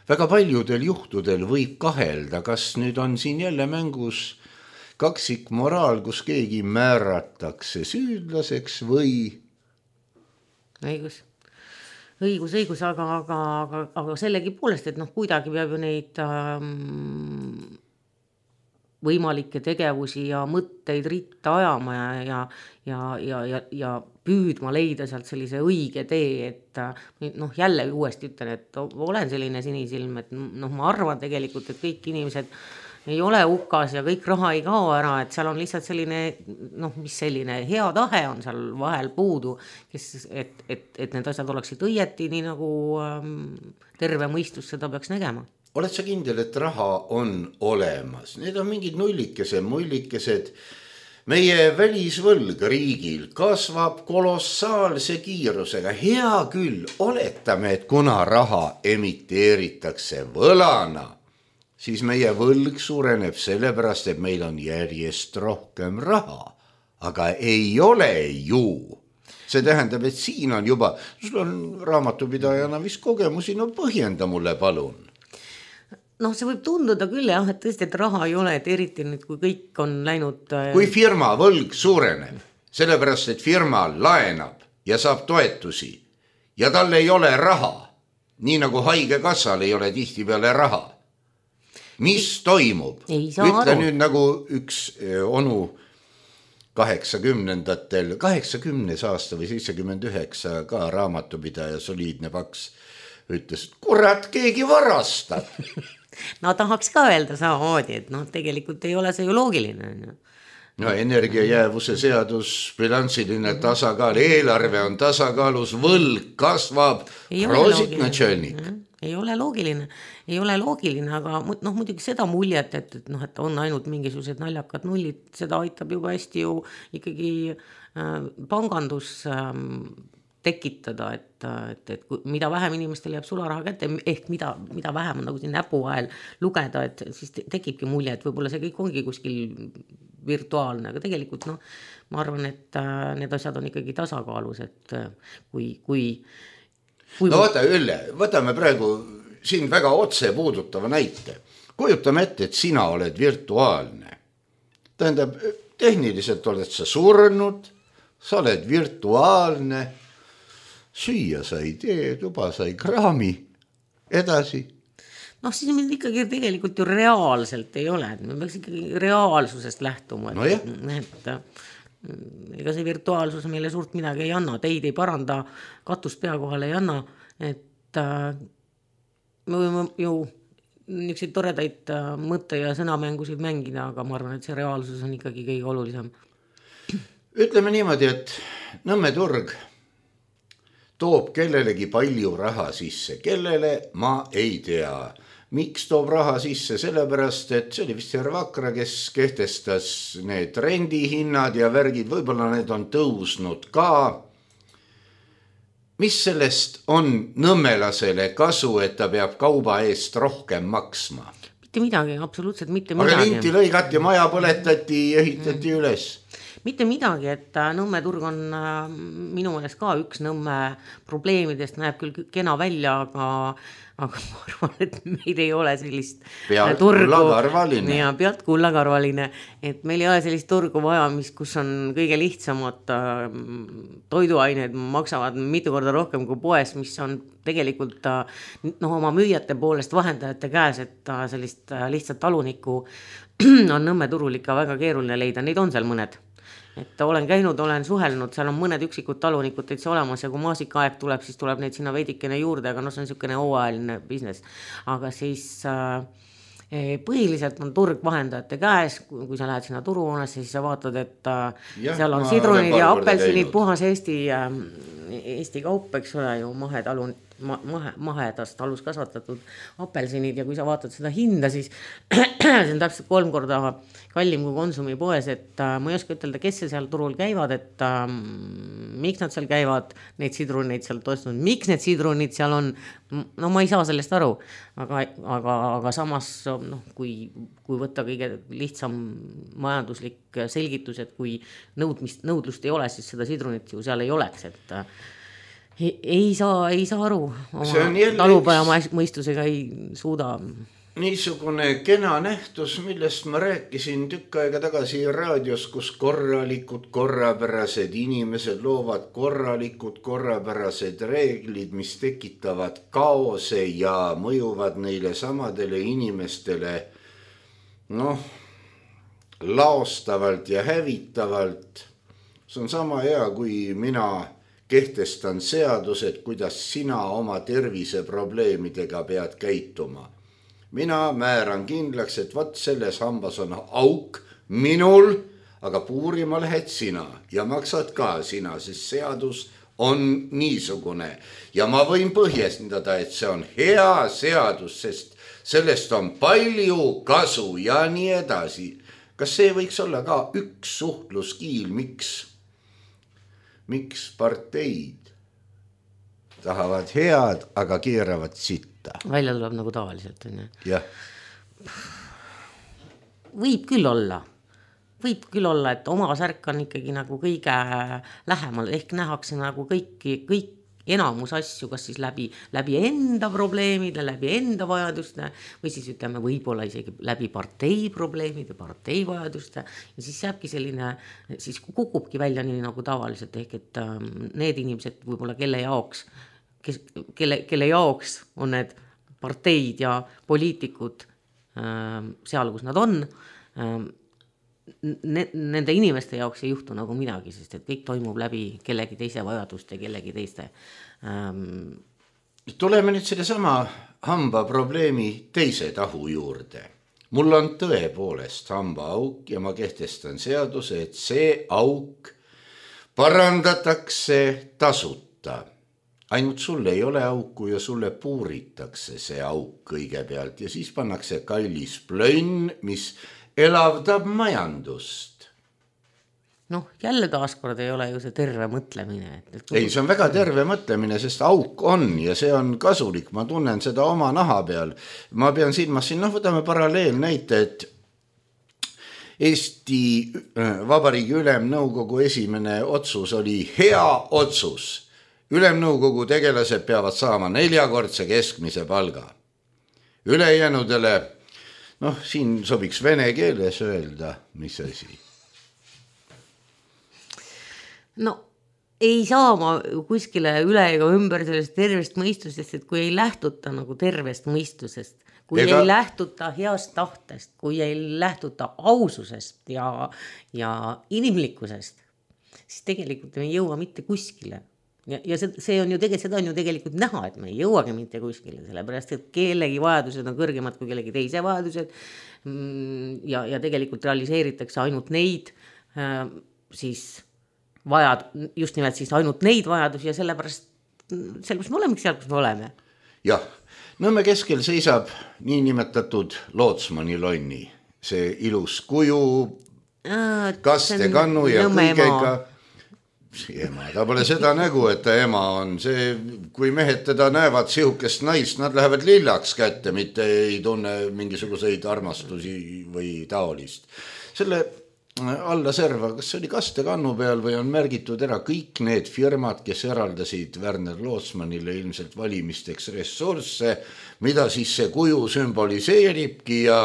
väga paljudel juhtudel võib kahelda, kas nüüd on siin jälle mängus kaksik moraal, kus keegi määratakse süüdlaseks või õigus, õigus, õigus, aga, aga, aga, aga sellegi poolest, et noh, kuidagi peab ju neid ähm, võimalikke tegevusi ja mõtteid ritta ajama ja, ja, ja, ja, ja, ja püüdma leida sealt sellise õige tee, et noh, jälle uuesti ütlen, et olen selline sinisilm, et noh, ma arvan tegelikult, et kõik inimesed ei ole hukas ja kõik raha ei kao ära, et seal on lihtsalt selline, noh, mis selline hea tahe on seal vahel puudu, kes, et, et, et need asjad oleksid õieti, nii nagu ähm, terve mõistus seda peaks nägema. Oled sa kindel, et raha on olemas? Need on mingid nullikesed, mullikesed. Meie välisvõlg riigil kasvab kolossaalse kiirusega. Hea küll, oletame, et kuna raha emiteeritakse võlana, siis meie võlg suureneb sellepärast, et meil on järjest rohkem raha. Aga ei ole ju. See tähendab, et siin on juba, sul on raamatupidajana vist kogemusi, no põhjenda mulle palun. noh, see võib tunduda küll jah, et tõesti, et raha ei ole, et eriti nüüd, kui kõik on läinud... Kui firma võlg suureneb, sellepärast, et firma laenab ja saab toetusi ja tal ei ole raha, nii nagu haige kassal ei ole tihti peale raha. Mis ei, toimub? Ütle aru. Nüüd nagu üks onu kaheksakümnendatel, kaheksakümnes aasta või seitsekümmend üheksa ka raamatupidaja soliidne paks ütles, et kurat, keegi varastab. No tahaks ka öelda samamoodi, et noh, tegelikult ei ole see ju loogiline. No energiajäävuse seadus, bilansiline tasakaal, eelarve on tasakaalus, võlg kasvab, prosit načelnik. Ei ole loogiline, ei ole loogiline, aga noh, muidugi seda muljet, et, et, noh, et on ainult mingisugused naljakad nullid, seda aitab juba hästi ju ikkagi äh, pangandus äh, tekitada, et, et, et mida vähem inimestel jääb sularaha kätte, ehk mida, mida vähem on nagu siin näpu vahel lugeda, et siis tekibki mulje, et võib-olla see kõik ongi kuskil virtuaalne, aga tegelikult noh, ma arvan, et äh, need asjad on ikkagi tasakaalus, et äh, kui, kui Kui no vaata Ülle, võtame praegu siin väga otse puudutava näite. Kujutame ette, et sina oled virtuaalne. Tähendab, tehniliselt oled sa surnud, sa oled virtuaalne, süüa sai tee, tuba sai kraami, edasi. noh, siis meil ikkagi tegelikult ju reaalselt ei ole, me peaks ikkagi reaalsusest lähtuma, et, no et ega see virtuaalsus meile suurt midagi ei anna, teid ei paranda, katust pea kohale ei anna, et äh, me võime ju niisuguseid toredaid mõtte- ja sõnamängusid mängida, aga ma arvan, et see reaalsus on ikkagi kõige olulisem. Ütleme niimoodi, et Nõmme turg toob kellelegi palju raha sisse, kellele ma ei tea. Miks toob raha sisse? Sellepärast, et see oli vist Herr Vakra, kes kehtestas need rendihinnad ja värgid, võib-olla need on tõusnud ka. Mis sellest on nõmmelasele kasu, et ta peab kauba eest rohkem maksma? Mitte midagi, absoluutselt mitte midagi. Aga linti lõigati, maja põletati, ehitati mm. üles. Mitte midagi, et Nõmme turg on minu meelest ka üks Nõmme probleemidest, näeb küll kena välja, aga, aga ma arvan, et meil ei ole sellist pealt turgu. Kullakarvaline. Ja pealt kullakarvaline, et meil ei ole sellist turgu vaja, mis, kus on kõige lihtsamad toiduained, maksavad mitu korda rohkem kui poes, mis on tegelikult no, oma müüjate poolest vahendajate käes, et sellist lihtsat talunikku on Nõmme turul ikka väga keeruline leida, neid on seal mõned. Et olen käinud, olen suhelnud, seal on mõned üksikud talunikud täitsa olemas ja kui maasikaaeg tuleb, siis tuleb neid sinna veidikene juurde, aga no see on niisugune hooajaline business. Aga siis äh, põhiliselt on turg vahendajate käes, kui, kui sa lähed sinna turuhoonesse, siis sa vaatad, et äh, ja, seal on sidrunid ja apelsinid, puhas Eesti, äh, Eesti kaup, eks ole ju mahetalun, ma, mahe, mahedast alus kasvatatud apelsinid ja kui sa vaatad seda hinda, siis see on täpselt kolm korda kallim kui Konsumi poes, et äh, ma ei oska ütelda, kes see seal turul käivad, et äh, miks nad seal käivad, neid sidruneid seal toestanud, miks need sidrunid seal on, no ma ei saa sellest aru, aga, aga, aga samas noh, kui, kui võtta kõige lihtsam majanduslik selgitus, et kui nõudmist, nõudlust ei ole, siis seda sidrunit ju seal ei oleks, et äh, ei, ei, saa, ei saa aru, oma talupaja mõistusega ei suuda. Niisugune kena nähtus, millest ma rääkisin tükk aega tagasi raadios, kus korralikud, korrapärased inimesed loovad korralikud, korrapärased reeglid, mis tekitavad kaose ja mõjuvad neile samadele inimestele noh, laostavalt ja hävitavalt. See on sama hea, kui mina kehtestan seadused, kuidas sina oma terviseprobleemidega pead käituma. Mina määran kindlaks, et võt selles hambas on auk minul, aga puurima lähed sina ja maksad ka sina, sest seadus on niisugune. Ja ma võin põhjendada, et see on hea seadus, sest sellest on palju kasu ja nii edasi. Kas see võiks olla ka üks suhtluskiil, miks, miks parteid tahavad head, aga keeravad sitta? Välja tuleb nagu tavaliselt. Jah. Võib küll olla. Võib küll olla, et oma särk on ikkagi nagu kõige lähemal, ehk nähakse nagu kõiki, kõik enamus asju, kas siis läbi, läbi enda probleemide, läbi enda vajaduste või siis ütleme võib-olla isegi läbi partei probleemide, partei vajaduste ja siis jääbki selline, siis kukubki välja nii nagu tavaliselt, ehk et need inimesed võib-olla kelle jaoks Kes, kelle, kelle jaoks on need parteid ja poliitikud äh, seal, kus nad on, äh, ne, nende inimeste jaoks ei juhtu nagu midagi, sest et kõik toimub läbi kellegi teise vajaduste, kellegi teiste. Ähm... Tuleme nüüd selle sama hamba probleemi teise tahu juurde. Mul on tõepoolest hamba auk ja ma kehtestan seaduse, et see auk parandatakse tasuta. Ainult sulle ei ole auku ja sulle puuritakse see auk kõigepealt ja siis pannakse kallis plönn, mis elavdab majandust. Noh, jälle taaskord ei ole ju see terve mõtlemine. Et, et... Ei, see on väga terve mõtlemine, sest auk on ja see on kasulik. Ma tunnen seda oma naha peal. Ma pean silmas siin, noh, võtame paralleel näite, et Eesti Vabariigi Ülemnõukogu esimene otsus oli hea otsus. Ülemnõukogu tegelased peavad saama neljakordse keskmise palga. Ülejänudele, noh, siin sobiks vene keeles öelda, mis asi? No, ei saa ma kuskile üle ega ümber sellest tervest mõistusest, et kui ei lähtuta nagu tervest mõistusest, kui ega... ei lähtuta heast tahtest, kui ei lähtuta aususest ja, ja inimlikkusest, siis tegelikult me ei jõua mitte kuskile. Ja, ja see, see on ju tegelikult, seda on ju tegelikult näha, et me ei jõuagi mitte kuskile, sellepärast, et kellegi vajadused on kõrgemad kui kellegi teise vajadused ja, ja tegelikult realiseeritakse ainult neid äh, siis vajad, just nimelt siis ainult neid vajadusi ja sellepärast, sellepärast me olemegi seal, kus me oleme. Jah, Nõmme keskel seisab niinimetatud Lootsmani lonni, see ilus kuju, kaste kannu ja kõigega. Ema, ta pole seda nägu, et ta ema on see, kui mehed teda näevad sihukest naist, nad lähevad lillaks kätte, mitte ei tunne mingisuguseid armastusi või taolist. Selle alla serva, kas see oli kaste kannu peal või on märgitud ära kõik need firmad, kes eraldasid Werner Lootsmanile ilmselt valimisteks ressursse, mida siis see kuju sümboliseeribki ja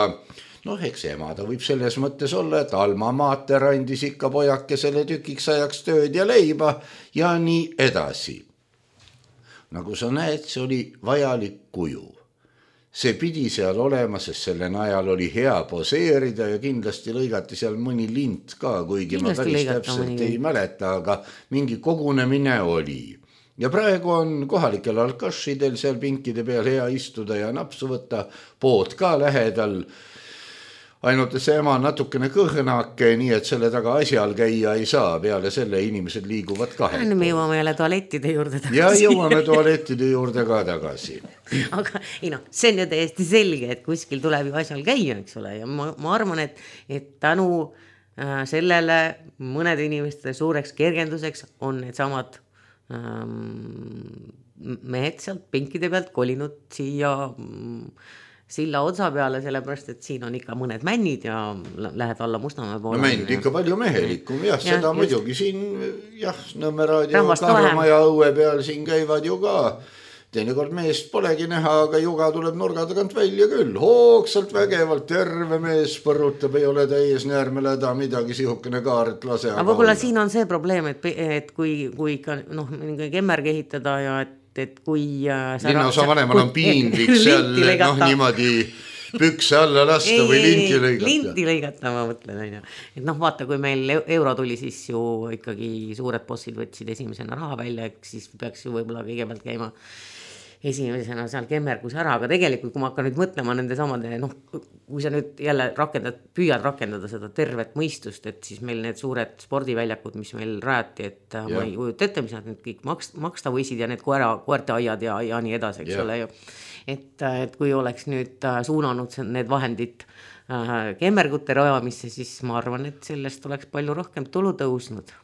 noh, eks ema ta võib selles mõttes olla, et Alma Mater andis ikka pojakesele tükiks ajaks tööd ja leiba ja nii edasi. Nagu sa näed, see oli vajalik kuju. See pidi seal olema, sest selle najal oli hea poseerida ja kindlasti lõigati seal mõni lint ka, kuigi kindlasti ma päris täpselt mõni. Ei mäleta, aga mingi kogunemine oli. Ja praegu on kohalikel alkašidel seal pinkide peal hea istuda ja napsu võtta, pood ka lähedal. Ainult see ema natukene kõhnake, nii et selle taga asjal käia ei saa, peale selle inimesed liiguvad kahel. Me jõuame jälle tualettide juurde tagasi. Ja jõuame tualettide juurde ka tagasi. Aga ei no, see on ju täiesti selge, et kuskil tuleb ju asjal käia, eks ole, ja ma, ma arvan, et, et tänu äh, sellele mõned inimeste suureks kergenduseks on need samad ähm, mehed sealt pinkide pealt kolinud siia mm, silla otsa peale, sellepärast, et siin on ikka mõned männid ja lähed alla Mustamäe poole. No mänd ikka palju mehelikum, jah, ja, seda just. Muidugi siin, jah, Nõmme raadio Kahrumaja õue peal siin käivad ju ka. Teinekord meest polegi näha, aga juga tuleb nurga tagant välja küll. Hoogsalt vägevalt, terve mees põrutab, ei ole täies näärmeläda midagi sihukene kaaret lase. Aga võib-olla siin on see probleem, et, et kui, kui ikka noh, kemmergi ehitada ja et et kui äh, linnaosa vanemal on piinlik seal noh niimoodi pükse alla lasta ei, või linti lõigata. Linti lõigata, ma mõtlen. Aina. Et noh, vaata, kui meil euro tuli, siis ju ikkagi suured bossid võtsid esimesena raha välja, siis peaks ju võib-olla kõigepealt käima esimesena seal kemmergus ära, aga tegelikult, kui ma hakkan nüüd mõtlema nende samade, noh, kui sa nüüd jälle rakendad, püüad rakendada seda tervet mõistust, et siis meil need suured spordiväljakud, mis meil rajati, et ja. Ma ei kujuta ette, mis nad nüüd kõik maksta, maksta võisid ja need koera, koerte aiad ja, ja nii edasi, eks ja. Ole ju. Et, et kui oleks nüüd suunanud need vahendid äh, kemmergute rajamisse, siis ma arvan, et sellest oleks palju rohkem tulu tõusnud.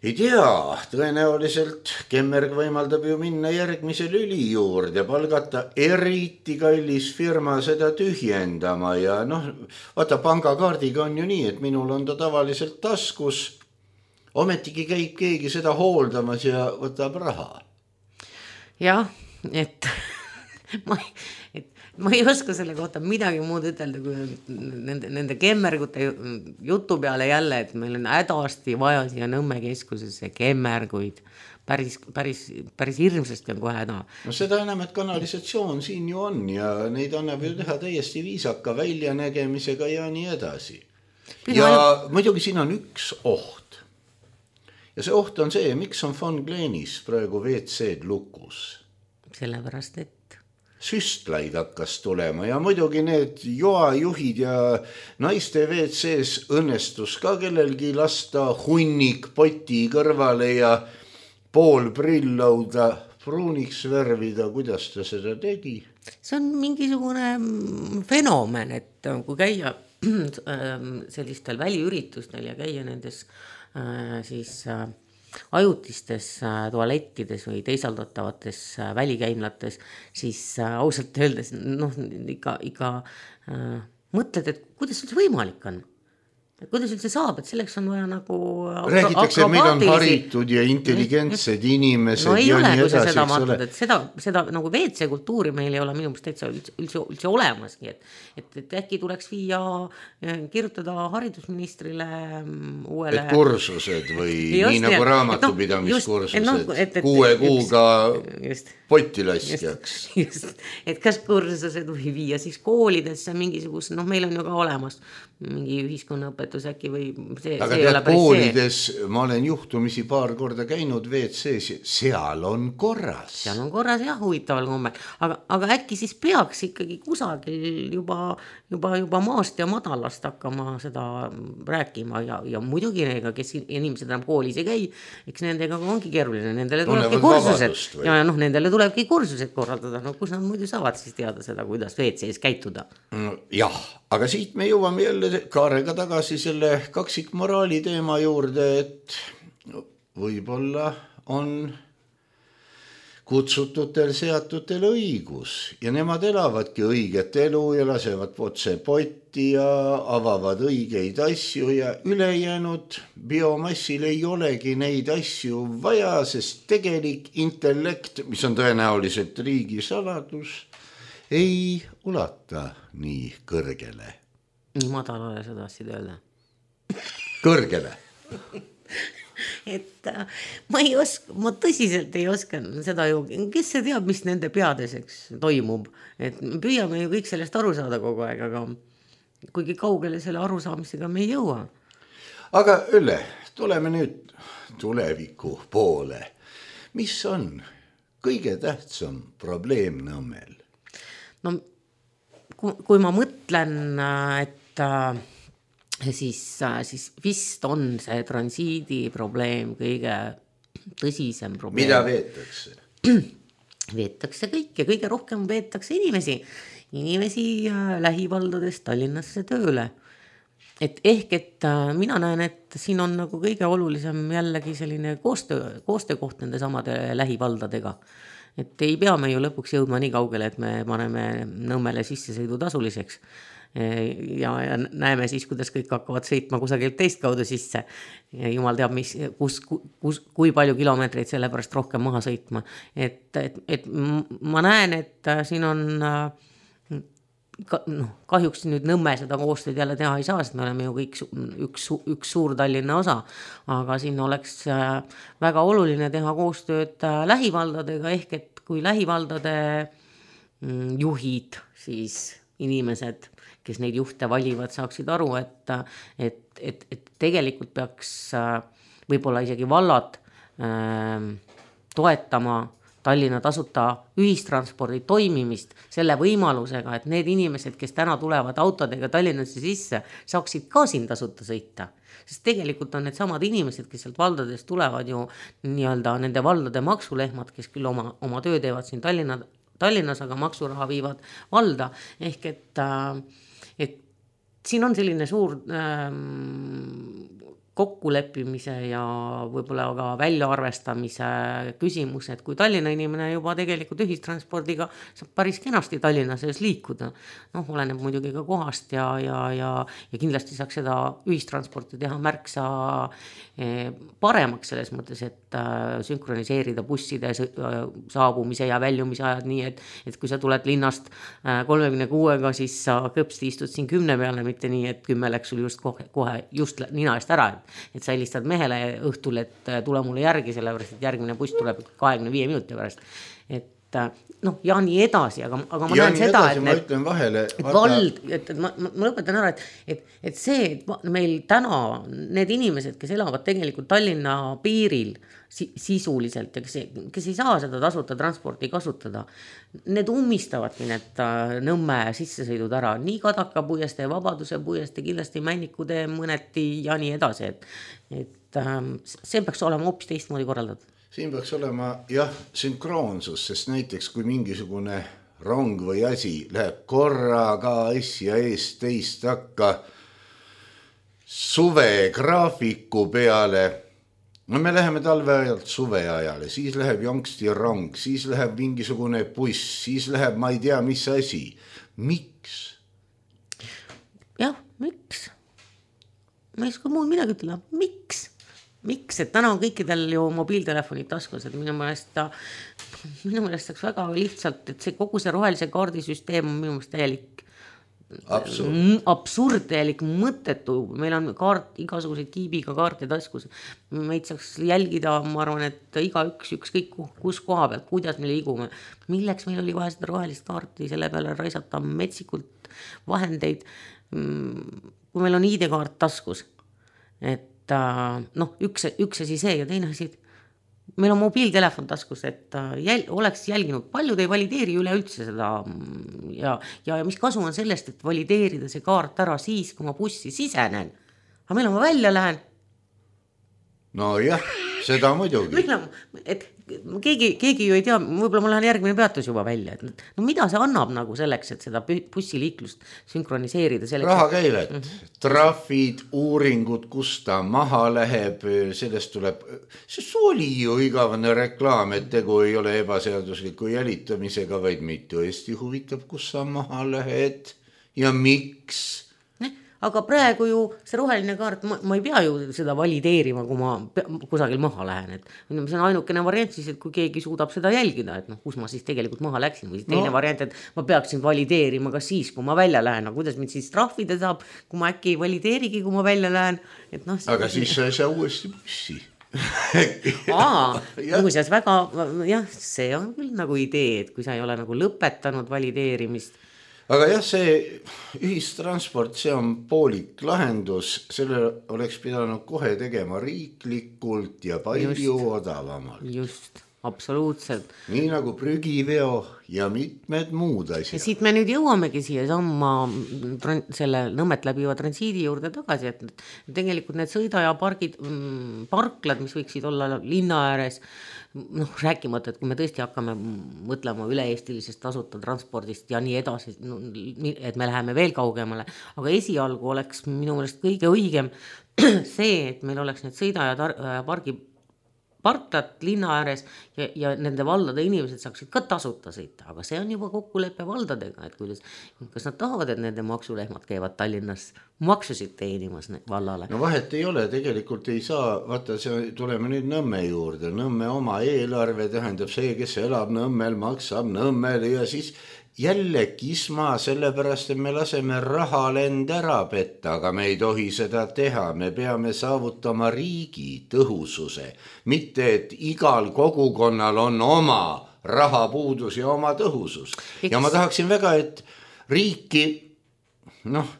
Ei tea, tõenäoliselt Kemmerg võimaldab ju minna järgmise lüli juurde ja palgata eriti kallis firma seda tühjendama ja noh, vaata pangakaardiga on ju nii, et minul on ta tavaliselt taskus, ometigi käib keegi seda hooldamas ja võtab raha. Jah, et ma ei, et ma ei oska selle kohta midagi muud ütelda, kui nende, nende kemmergute jutu peale jälle, et meil on hädasti vaja siia Nõmme keskusesse kemmerguid. Päris, päris, päris hirmsasti on kohe häda. No seda enam, et kanalisatsioon siin ju on ja neid annab ju teha täiesti viisaka väljanägemisega ja nii edasi. Ja ainult... muidugi siin on üks oht. Ja see oht on see, miks on Von Gleenis praegu V C-d lukus. Sellepärast, et süstlaid hakkas tulema ja muidugi need joajuhid ja naiste V C-s õnnestus ka kellelgi lasta hunnik poti kõrvale ja pool prilllauda pruuniks värvida, kuidas ta seda tegi? See on mingisugune fenomen, et kui käia sellistel väliüritustel ja käia nendes siis ajutistes tualettides või teisaldatavates välikäimlates, siis ausalt öeldes noh, ikka, ikka äh, mõtled, et kuidas see võimalik on? kuidas üldse saab, et selleks on vaja nagu räägitakse, et meid on haritud ja intelligentsed inimesed no ei ja ole, nii kui sa edasi, seda eks vaatad, ole. et seda, seda nagu V C kultuuri meil ei ole minu mõttes täitsa üldse, üldse, üldse olemaski, et, et, et äkki tuleks viia, kirjutada haridusministrile uuele... Et kursused või just, nii nagu raamatupidamiskursused no, no, kuue kuuga potilaskjaks. Just, just, et kas kursused või viia siis koolidesse mingisugus, noh meil on ju ka olemas mingi ühiskonnaõpetus äkki või see, aga see tead, koolides see. Ma olen juhtumisi paar korda käinud V C-s, seal on korras. Seal on korras jah, huvitaval kombel, aga, aga äkki siis peaks ikkagi kusagil juba, juba, juba maast ja madalast hakkama seda rääkima ja, ja muidugi neega, kes inimesed enam koolis ei käi, eks nendega ongi keeruline, nendele tulebki kursused ja noh, nendele tulebki kursused korraldada, no kus nad muidu saavad siis teada seda, kuidas V C-s käituda. Jah, aga siit me jõuame jälle Kaarega tagasi selle kaksikmoraali teema juurde, et võib-olla on kutsututel seatutel õigus ja nemad elavadki õiget elu ja lasevad otse potti ja avavad õigeid asju ja ülejäänud biomassil ei olegi neid asju vaja, sest tegelik intellekt, mis on tõenäoliselt riigisaladus, ei ulata nii kõrgele. Nii madalale sa tahtsid öelda? Kõrgele. et ma ei oska, ma tõsiselt ei oska seda ju, kes see teab, mis nende peadeseks toimub, et me püüame ju kõik sellest aru saada kogu aeg, aga kuigi kaugele selle arusaamisega me ei jõua. Aga Ülle, tuleme nüüd tuleviku poole. Mis on kõige tähtsam probleem Nõmmel? No kui ma mõtlen, et siis, siis vist on see transiidi probleem kõige tõsisem probleem. Mida veetakse? Veetakse kõike, kõige rohkem veetakse inimesi, inimesi lähivaldadest Tallinnasse tööle. Et ehk, et mina näen, et siin on nagu kõige olulisem jällegi selline koostöö, koostöökoht nende samade lähivaldadega. Et ei pea me ju lõpuks jõudma nii kaugele, et me paneme Nõmmele sissesõidu tasuliseks ja, ja näeme siis, kuidas kõik hakkavad sõitma kusagilt teist kaudu sisse. Jumal teab, mis, kus, kus, kui palju kilomeetreid selle pärast rohkem maha sõitma. Et, et, et ma näen, et siin on noh, kahjuks nüüd Nõmme seda koostööd jälle teha ei saa, sest me oleme ju kõik üks, üks suur Tallinna osa, aga siin oleks väga oluline teha koostööd lähivaldadega, ehk et kui lähivaldade juhid, siis inimesed, kes neid juhte valivad, saaksid aru, et, et, et, et tegelikult peaks võib-olla isegi vallad äh, toetama Tallinna tasuta ühistranspordi toimimist selle võimalusega, et need inimesed, kes täna tulevad autodega Tallinnasse sisse, saaksid ka siin tasuta sõita. Sest tegelikult on need samad inimesed, kes sealt valdadest tulevad ju nii-öelda nende valdade maksulehmad, kes küll oma, oma töö teevad siin Tallinna, Tallinnas, aga maksuraha viivad valda. Ehk et, et siin on selline suur ähm, kokkuleppimise ja võib-olla ka väljaarvestamise küsimus, et kui Tallinna inimene juba tegelikult ühistranspordiga saab päris kenasti Tallinna sees liikuda, noh, oleneb muidugi ka kohast ja, ja, ja, ja kindlasti saaks seda ühistransporti teha märksa paremaks selles mõttes, et sünkroniseerida busside saabumise ja väljumise ajad nii, et, et kui sa tuled linnast kolmekümne kuuega, siis sa kõpsti istud siin kümne peale, mitte nii, et kümme läks sul just kohe, kohe just nina eest ära, et sa helistad mehele õhtul, et tule mulle järgi, sellepärast, et järgmine buss tuleb kahekümne viie minuti pärast. Et noh, ja nii edasi, aga, aga ma ja näen seda, edasi, et, ma ütlen vahele, et vald, et, et ma, ma lõpetan ära, et, et, et see, et meil täna need inimesed, kes elavad tegelikult Tallinna piiril sisuliselt ja kes, kes ei saa seda tasuta transporti kasutada, need ummistavadki need Nõmme sissesõidud ära, nii Kadaka puiestee, Vabaduse puiestee, kindlasti Männikutee mõneti ja nii edasi, et, et see peaks olema hoopis teistmoodi korraldatud. Siin peaks olema jah, sünkroonsus, sest näiteks kui mingisugune rong või asi läheb korraga asja eest teist takka suve graafiku peale, no me läheme talve ajalt suve ajale, siis läheb jonksti rong, siis läheb mingisugune buss, siis läheb ma ei tea mis asi. Miks? Jah, miks? ma ei oska muud midagi ütelda, miks? Miks, et täna on kõikidel ju mobiiltelefonid taskus, et minu meelest ta, minu meelest saaks väga lihtsalt, et see kogu see rohelise kaardisüsteem on minu meelest täielik absurd, absurd, täielik mõttetu, meil on kaart, igasuguseid kiibiga kaarte taskus, meid saaks jälgida, ma arvan, et iga üks, ükskõik kus koha pealt, kuidas me liigume, milleks meil oli vaja seda rohelist kaarti, selle peale raisata metsikult vahendeid, kui meil on I D-kaart taskus, et noh, üks, üks asi see ja teine asi, meil on mobiiltelefon taskus, et jäl, oleks jälginud, paljud ei valideeri üle üldse seda ja, ja mis kasu on sellest, et valideerida see kaart ära siis, kui ma bussi sisenen, aga meil on ma välja lähen. No jah, seda muidugi. Et keegi, keegi ju ei tea, võib-olla ma lähen järgmine peatus juba välja, et no mida see annab nagu selleks, et seda bussiliiklust sünkroniseerida selleks? Rahakäivet, mm-hmm. trahvid, uuringud, kus ta maha läheb, sellest tuleb, sest oli ju igavene reklaam, et tegu ei ole ebaseadusliku jälitamisega, vaid meid tõesti huvitab, kus sa maha lähed ja miks. Aga praegu ju see roheline kaart, ma, ma ei pea ju seda valideerima, kui ma kusagil maha lähen, et see on ainukene variant siis, et kui keegi suudab seda jälgida, et noh, kus ma siis tegelikult maha läksin, või teine no. variant, et ma peaksin valideerima ka siis, kui ma välja lähen, aga kuidas mind siis trahvida saab, kui ma äkki ei valideerigi, kui ma välja lähen, et noh. Aga siis sa ei saa uuesti bussi. Aa, muuseas väga, jah, see on küll nagu idee, et kui sa ei ole nagu lõpetanud valideerimist. Aga jah, see ühistransport, see on poolik lahendus, selle oleks pidanud kohe tegema riiklikult ja palju just, odavamalt. Just, absoluutselt. Nii nagu prügiveo ja mitmed muud asjad. Ja siit me nüüd jõuamegi siia samma selle Nõmmet läbiva transiidi juurde tagasi, et tegelikult need sõidajapargid, parklad, mis võiksid olla linna ääres, noh, rääkimata, et kui me tõesti hakkame mõtlema üle-eestilisest tasuta transpordist ja nii edasi, et me läheme veel kaugemale, aga esialgu oleks minu meelest kõige õigem see, et meil oleks need sõida- ja pargi parklad linna ääres ja, ja nende valdade inimesed saaksid ka tasuta sõita, aga see on juba kokkulepe valdadega, et kuidas, kas nad tahavad, et nende maksulehmad käivad Tallinnas maksusid teenimas vallale. No vahet ei ole, tegelikult ei saa, vaata, see, tuleme nüüd Nõmme juurde, Nõmme oma eelarve tähendab see, kes elab Nõmmel, maksab Nõmmel ja siis jälle kisma sellepärast, et me laseme rahalend ära petta, aga me ei tohi seda teha, me peame saavutama riigi tõhususe, mitte et igal kogukonnal on oma rahapuudus ja oma tõhusus. Ja ma tahaksin väga, et riiki, noh,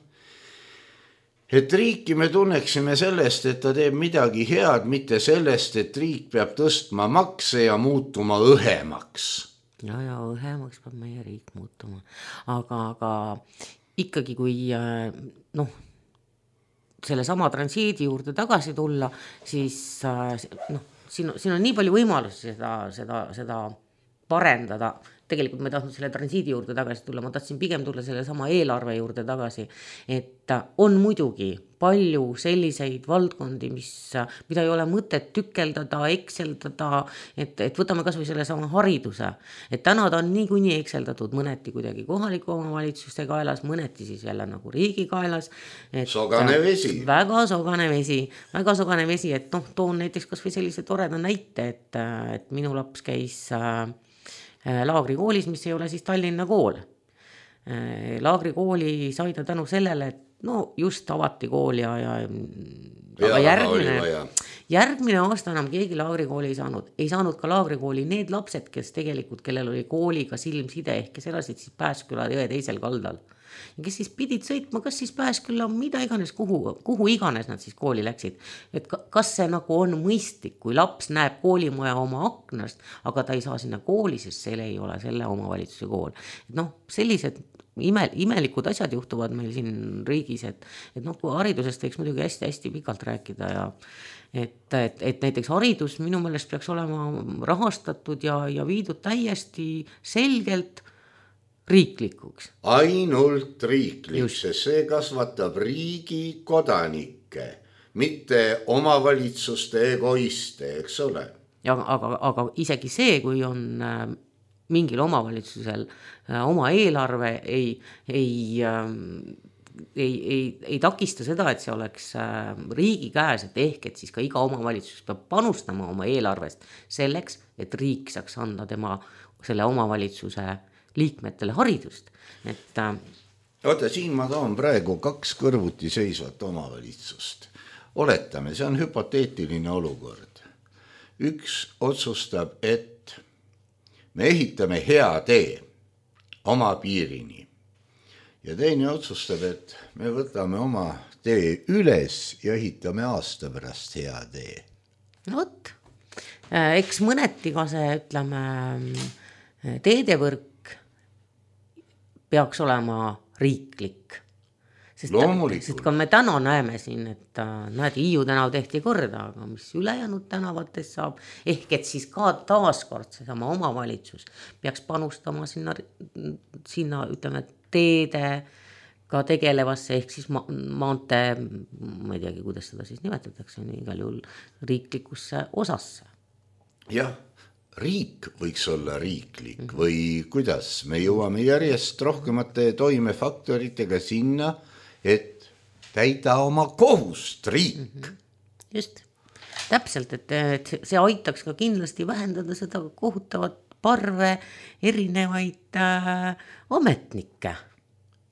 et riiki me tunneksime sellest, et ta teeb midagi head, mitte sellest, et riik peab tõstma makse ja muutuma õhemaks. Ja, ja õhemaks peab meie riik muutuma. Aga, aga ikkagi kui noh, selle sama transiidi juurde tagasi tulla, siis noh, siin, siin on nii palju võimalusi seda, seda, seda parendada. Tegelikult ma tahtnud selle transiidi juurde tagasi tulla, ma tahtsin pigem tulla selle sama eelarve juurde tagasi, et on muidugi palju selliseid valdkondi, mis, mida ei ole mõtet tükeldada, ekseldada, et, et võtame kas või selle sama hariduse, et täna ta on niikuinii ekseldatud mõneti kuidagi kohaliku omavalitsuste kaelas, mõneti siis jälle nagu riigi kaelas. Et sogane vesi. Väga sogane vesi, väga sogane vesi, et noh, toon näiteks kas või sellise toreda näite, et, et minu laps käis Laagrikoolis, mis ei ole siis Tallinna kool. Laagrikooli sai ta tänu sellele, et no just avati kool ja, ja, aga järgmine, järgmine aasta enam keegi Laagrikooli ei saanud. Ei saanud ka Laagrikooli need lapsed, kes tegelikult, kellel oli kooliga silmside ehk kes elasid siis Pääsküla jõe teisel kaldal. Ja kes siis pidid sõitma, kas siis Pääsküla, mida iganes, kuhu, kuhu iganes nad siis kooli läksid. Et kas see nagu on mõistlik, kui laps näeb koolimaja oma aknast, aga ta ei saa sinna kooli, sest see ei ole selle omavalitsuse kool. Et noh, sellised ime, imelikud asjad juhtuvad meil siin riigis, et, et noh, kui haridusest võiks muidugi hästi-hästi pikalt rääkida ja et, et, et näiteks haridus minu meelest peaks olema rahastatud ja, ja viidud täiesti selgelt riiklikuks. Ainult riiklik, sest see kasvatab riigi kodanikke, mitte omavalitsuste egoiste, eks ole. Ja, aga, aga isegi see, kui on äh, mingil omavalitsusel äh, oma eelarve ei, ei äh, ei, ei, ei takista seda, et see oleks riigi käes, et ehk, et siis ka iga omavalitsus peab panustama oma eelarvest selleks, et riik saaks anda tema selle omavalitsuse liikmetele haridust. Et oota, siin ma toon praegu kaks kõrvuti seisvat omavalitsust. Oletame, see on hüpoteetiline olukord. Üks otsustab, et me ehitame hea tee oma piirini. Ja teine otsustab, et me võtame oma tee üles ja ehitame aasta pärast hea tee. No võt, eks mõneti ka see, ütleme, teedevõrk peaks olema riiklik. Sest, sest kui me täna näeme siin, et näed, Hiiu tänav tehti korda, aga mis ülejäänud tänavates saab, ehk et siis ka taaskord seesama omavalitsus peaks panustama sinna, sinna ütleme, teede ka tegelevasse, ehk siis ma- maantee, ma ei teagi, kuidas seda siis nimetatakse, igal juhul riiklikusse osasse. Jah, riik võiks olla riiklik mm-hmm. või kuidas me jõuame järjest rohkemate toimefaktoritega sinna, et täida oma kohust riik. Mm-hmm. Just, täpselt, et, et see aitaks ka kindlasti vähendada seda kohutavat parve erinevaid äh, ametnikke.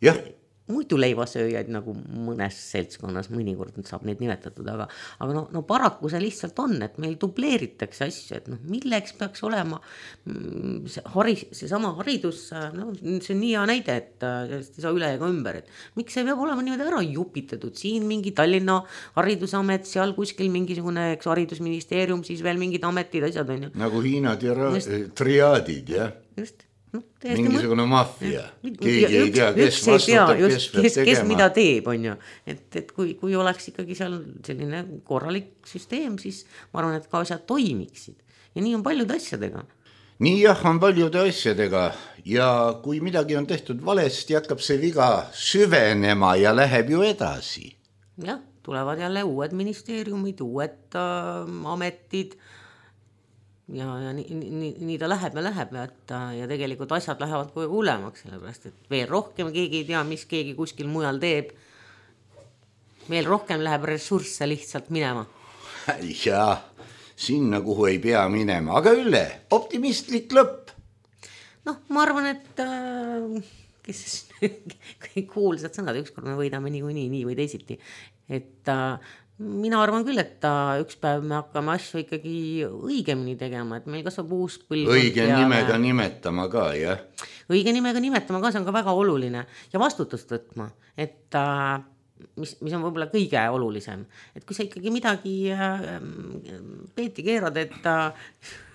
Jah. Muidu leivasööjaid nagu mõnes seltskonnas mõnikord saab neid nimetatud, aga, aga no, no paraku see lihtsalt on, et meil dubleeritakse asju, et noh, milleks peaks olema see, haris, see sama haridus, no, see on nii hea näide, et ei saa üle ega ümber, et miks see peab olema niimoodi ära jupitatud, siin mingi Tallinna haridusamet, seal kuskil mingisugune eks, haridusministeerium, siis veel mingid ametid, asjad on ju. Nagu Hiina tira- triaadid, jah? Just. No, mingisugune maffia, keegi ei tea, kes vastutab, kes peab kes, tegema. Kes mida teeb, on ju. Et, et kui, kui oleks ikkagi seal selline korralik süsteem, siis ma arvan, et ka asjad toimiksid. Ja nii on paljude asjadega. Nii jah, on paljude asjadega ja kui midagi on tehtud valesti, hakkab see viga süvenema ja läheb ju edasi. Jah, tulevad jälle uued ministeeriumid, uued äh, ametid, ja, ja nii, nii, nii ta läheb ja läheb ja, et, ja tegelikult asjad lähevad kogu hulemaks, sellepärast, et veel rohkem keegi ei tea, mis keegi kuskil mujal teeb. Veel rohkem läheb ressursse lihtsalt minema. Jaa, sinna kuhu ei pea minema, aga üle, optimistlik lõpp. Noh, ma arvan, et äh, kes kõik kuulsad sõnad, ükskord me võidame nii, nii, nii või teisiti, et äh, mina arvan küll, et üks päev me hakkame asju ikkagi õigemini tegema, et meil kasvab uus põlvkond. Õige nimega me... nimetama ka, jah? Õige nimega nimetama ka, see on ka väga oluline ja vastutust võtma, et mis, mis on võib-olla kõige olulisem, et kui sa ikkagi midagi peeti keerad, et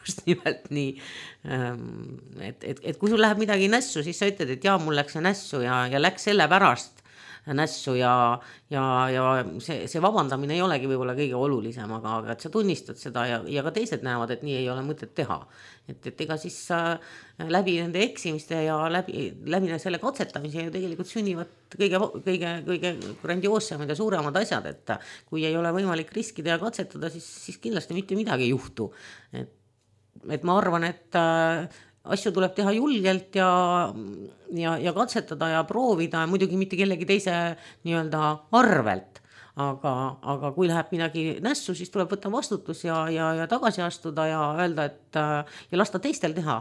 just nimelt nii, et, et, et kui sul läheb midagi nässu, siis sa ütled, et jaa, mul läks see nässu ja, ja läks selle pärast nässu ja, ja, ja see, see vabandamine ei olegi võib-olla kõige olulisem, aga, aga et sa tunnistad seda ja, ja ka teised näevad, et nii ei ole mõtet teha. Et, et ega siis äh, läbi nende eksimiste ja läbi, läbi selle katsetamise ju tegelikult sünnivad kõige, kõige, kõige grandioossemad ja suuremad asjad, et kui ei ole võimalik riskida ja katsetada, siis, siis kindlasti mitte midagi ei juhtu. Et, et ma arvan, et äh, asju tuleb teha julgelt ja, ja, ja katsetada ja proovida, muidugi mitte kellegi teise nii-öelda arvelt, aga, aga kui läheb midagi nässu, siis tuleb võtta vastutus ja, ja, ja tagasi astuda ja öelda, et ja lasta teistel teha.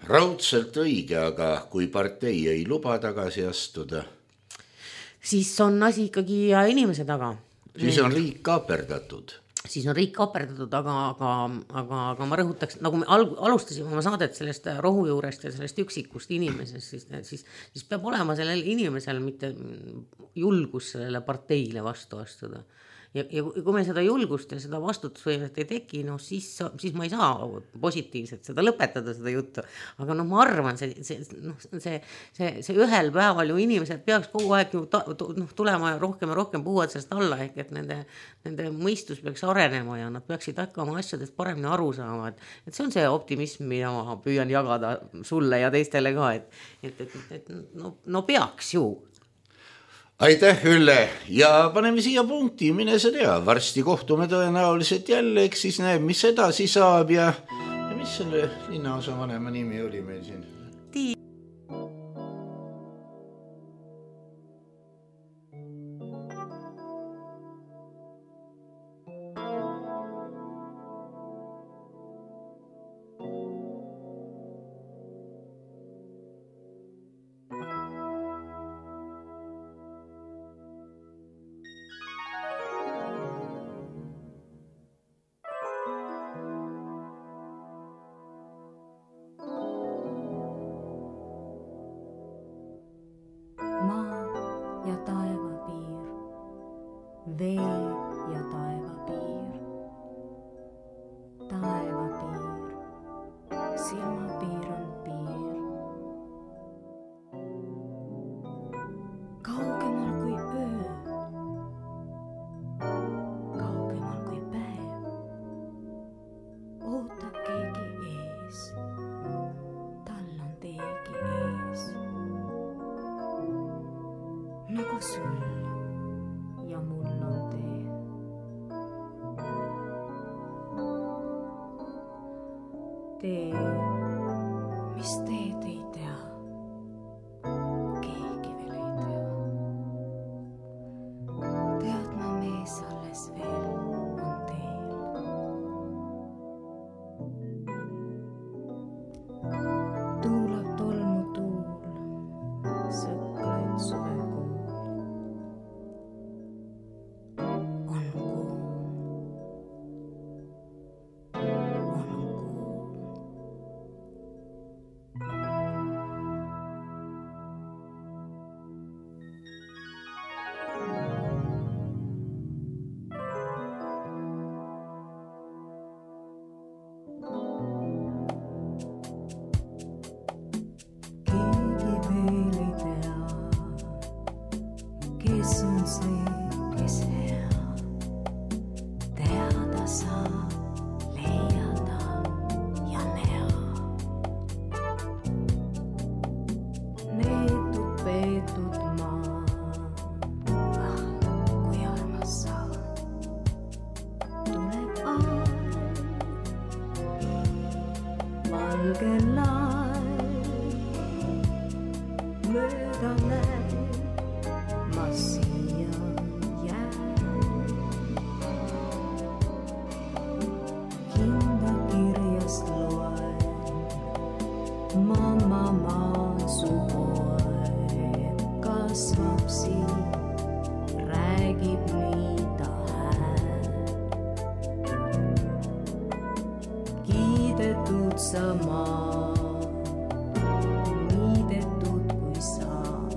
Raudselt õige, aga kui partei ei luba tagasi astuda, siis on asi ikkagi inimese taga. Siis on riik kaaperdatud. siis on riik kaperdatud, aga, aga, aga, aga ma rõhutaks, nagu me al- alustasime oma saadet sellest rohu juurest ja sellest üksikust inimesest, siis, siis, siis peab olema sellel inimesel mitte julgus sellele parteile vastu astuda. Ja, ja kui me seda julgust ja seda vastutusvõimet ei teki, no siis, siis ma ei saa positiivselt seda lõpetada, seda juttu. Aga noh, ma arvan, see, see, no, see, see, see ühel päeval ju inimesed peaks kogu aeg ju ta, noh, tulema rohkem ja rohkem puhuvad sellest alla, ehk et nende, nende mõistus peaks arenema ja nad peaksid hakkama asjadest paremini aru saama. Et, et see on see optimism, mida ma püüan jagada sulle ja teistele ka, et, et, et, et no, no peaks ju. Aitäh, Ülle, ja paneme siia punkti, mine sa tea, varsti kohtume tõenäoliselt jälle, eks siis näeb, mis edasi saab ja, ja mis selle linnaosa vanema nimi oli meil siin? ja taevapiir, vee ja taevapiir, taevapiir, silmapiir on piir. Kaugemal kui öö, kaugemal kui päev, ootab keegi ees, tal on teegi ees. Nagu sul ja mul on tee. Tee, mis teed ei tea, keegi veel ei tea. Teadma mees alles veel on teel. Tuulab tolmu tuul, sõklaid suvekuul. On kuum, on kuum. Keegi veel ei tea, kes on see, kes hea. Teada saab, leiada ja näha. Neetud, peetud maa, ah, kui armas sa. Tuleb aeg, valge laev, mööda näeb, ma siia jään. Hinda kirjast loen, mamma maa su poeg kasvab siin, räägib nii ta hääl. Kiidetud sa maa, niidetud kui saad,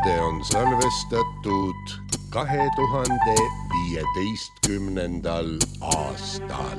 saade on salvestatud kahe tuhande viieteistkümnendal aastal.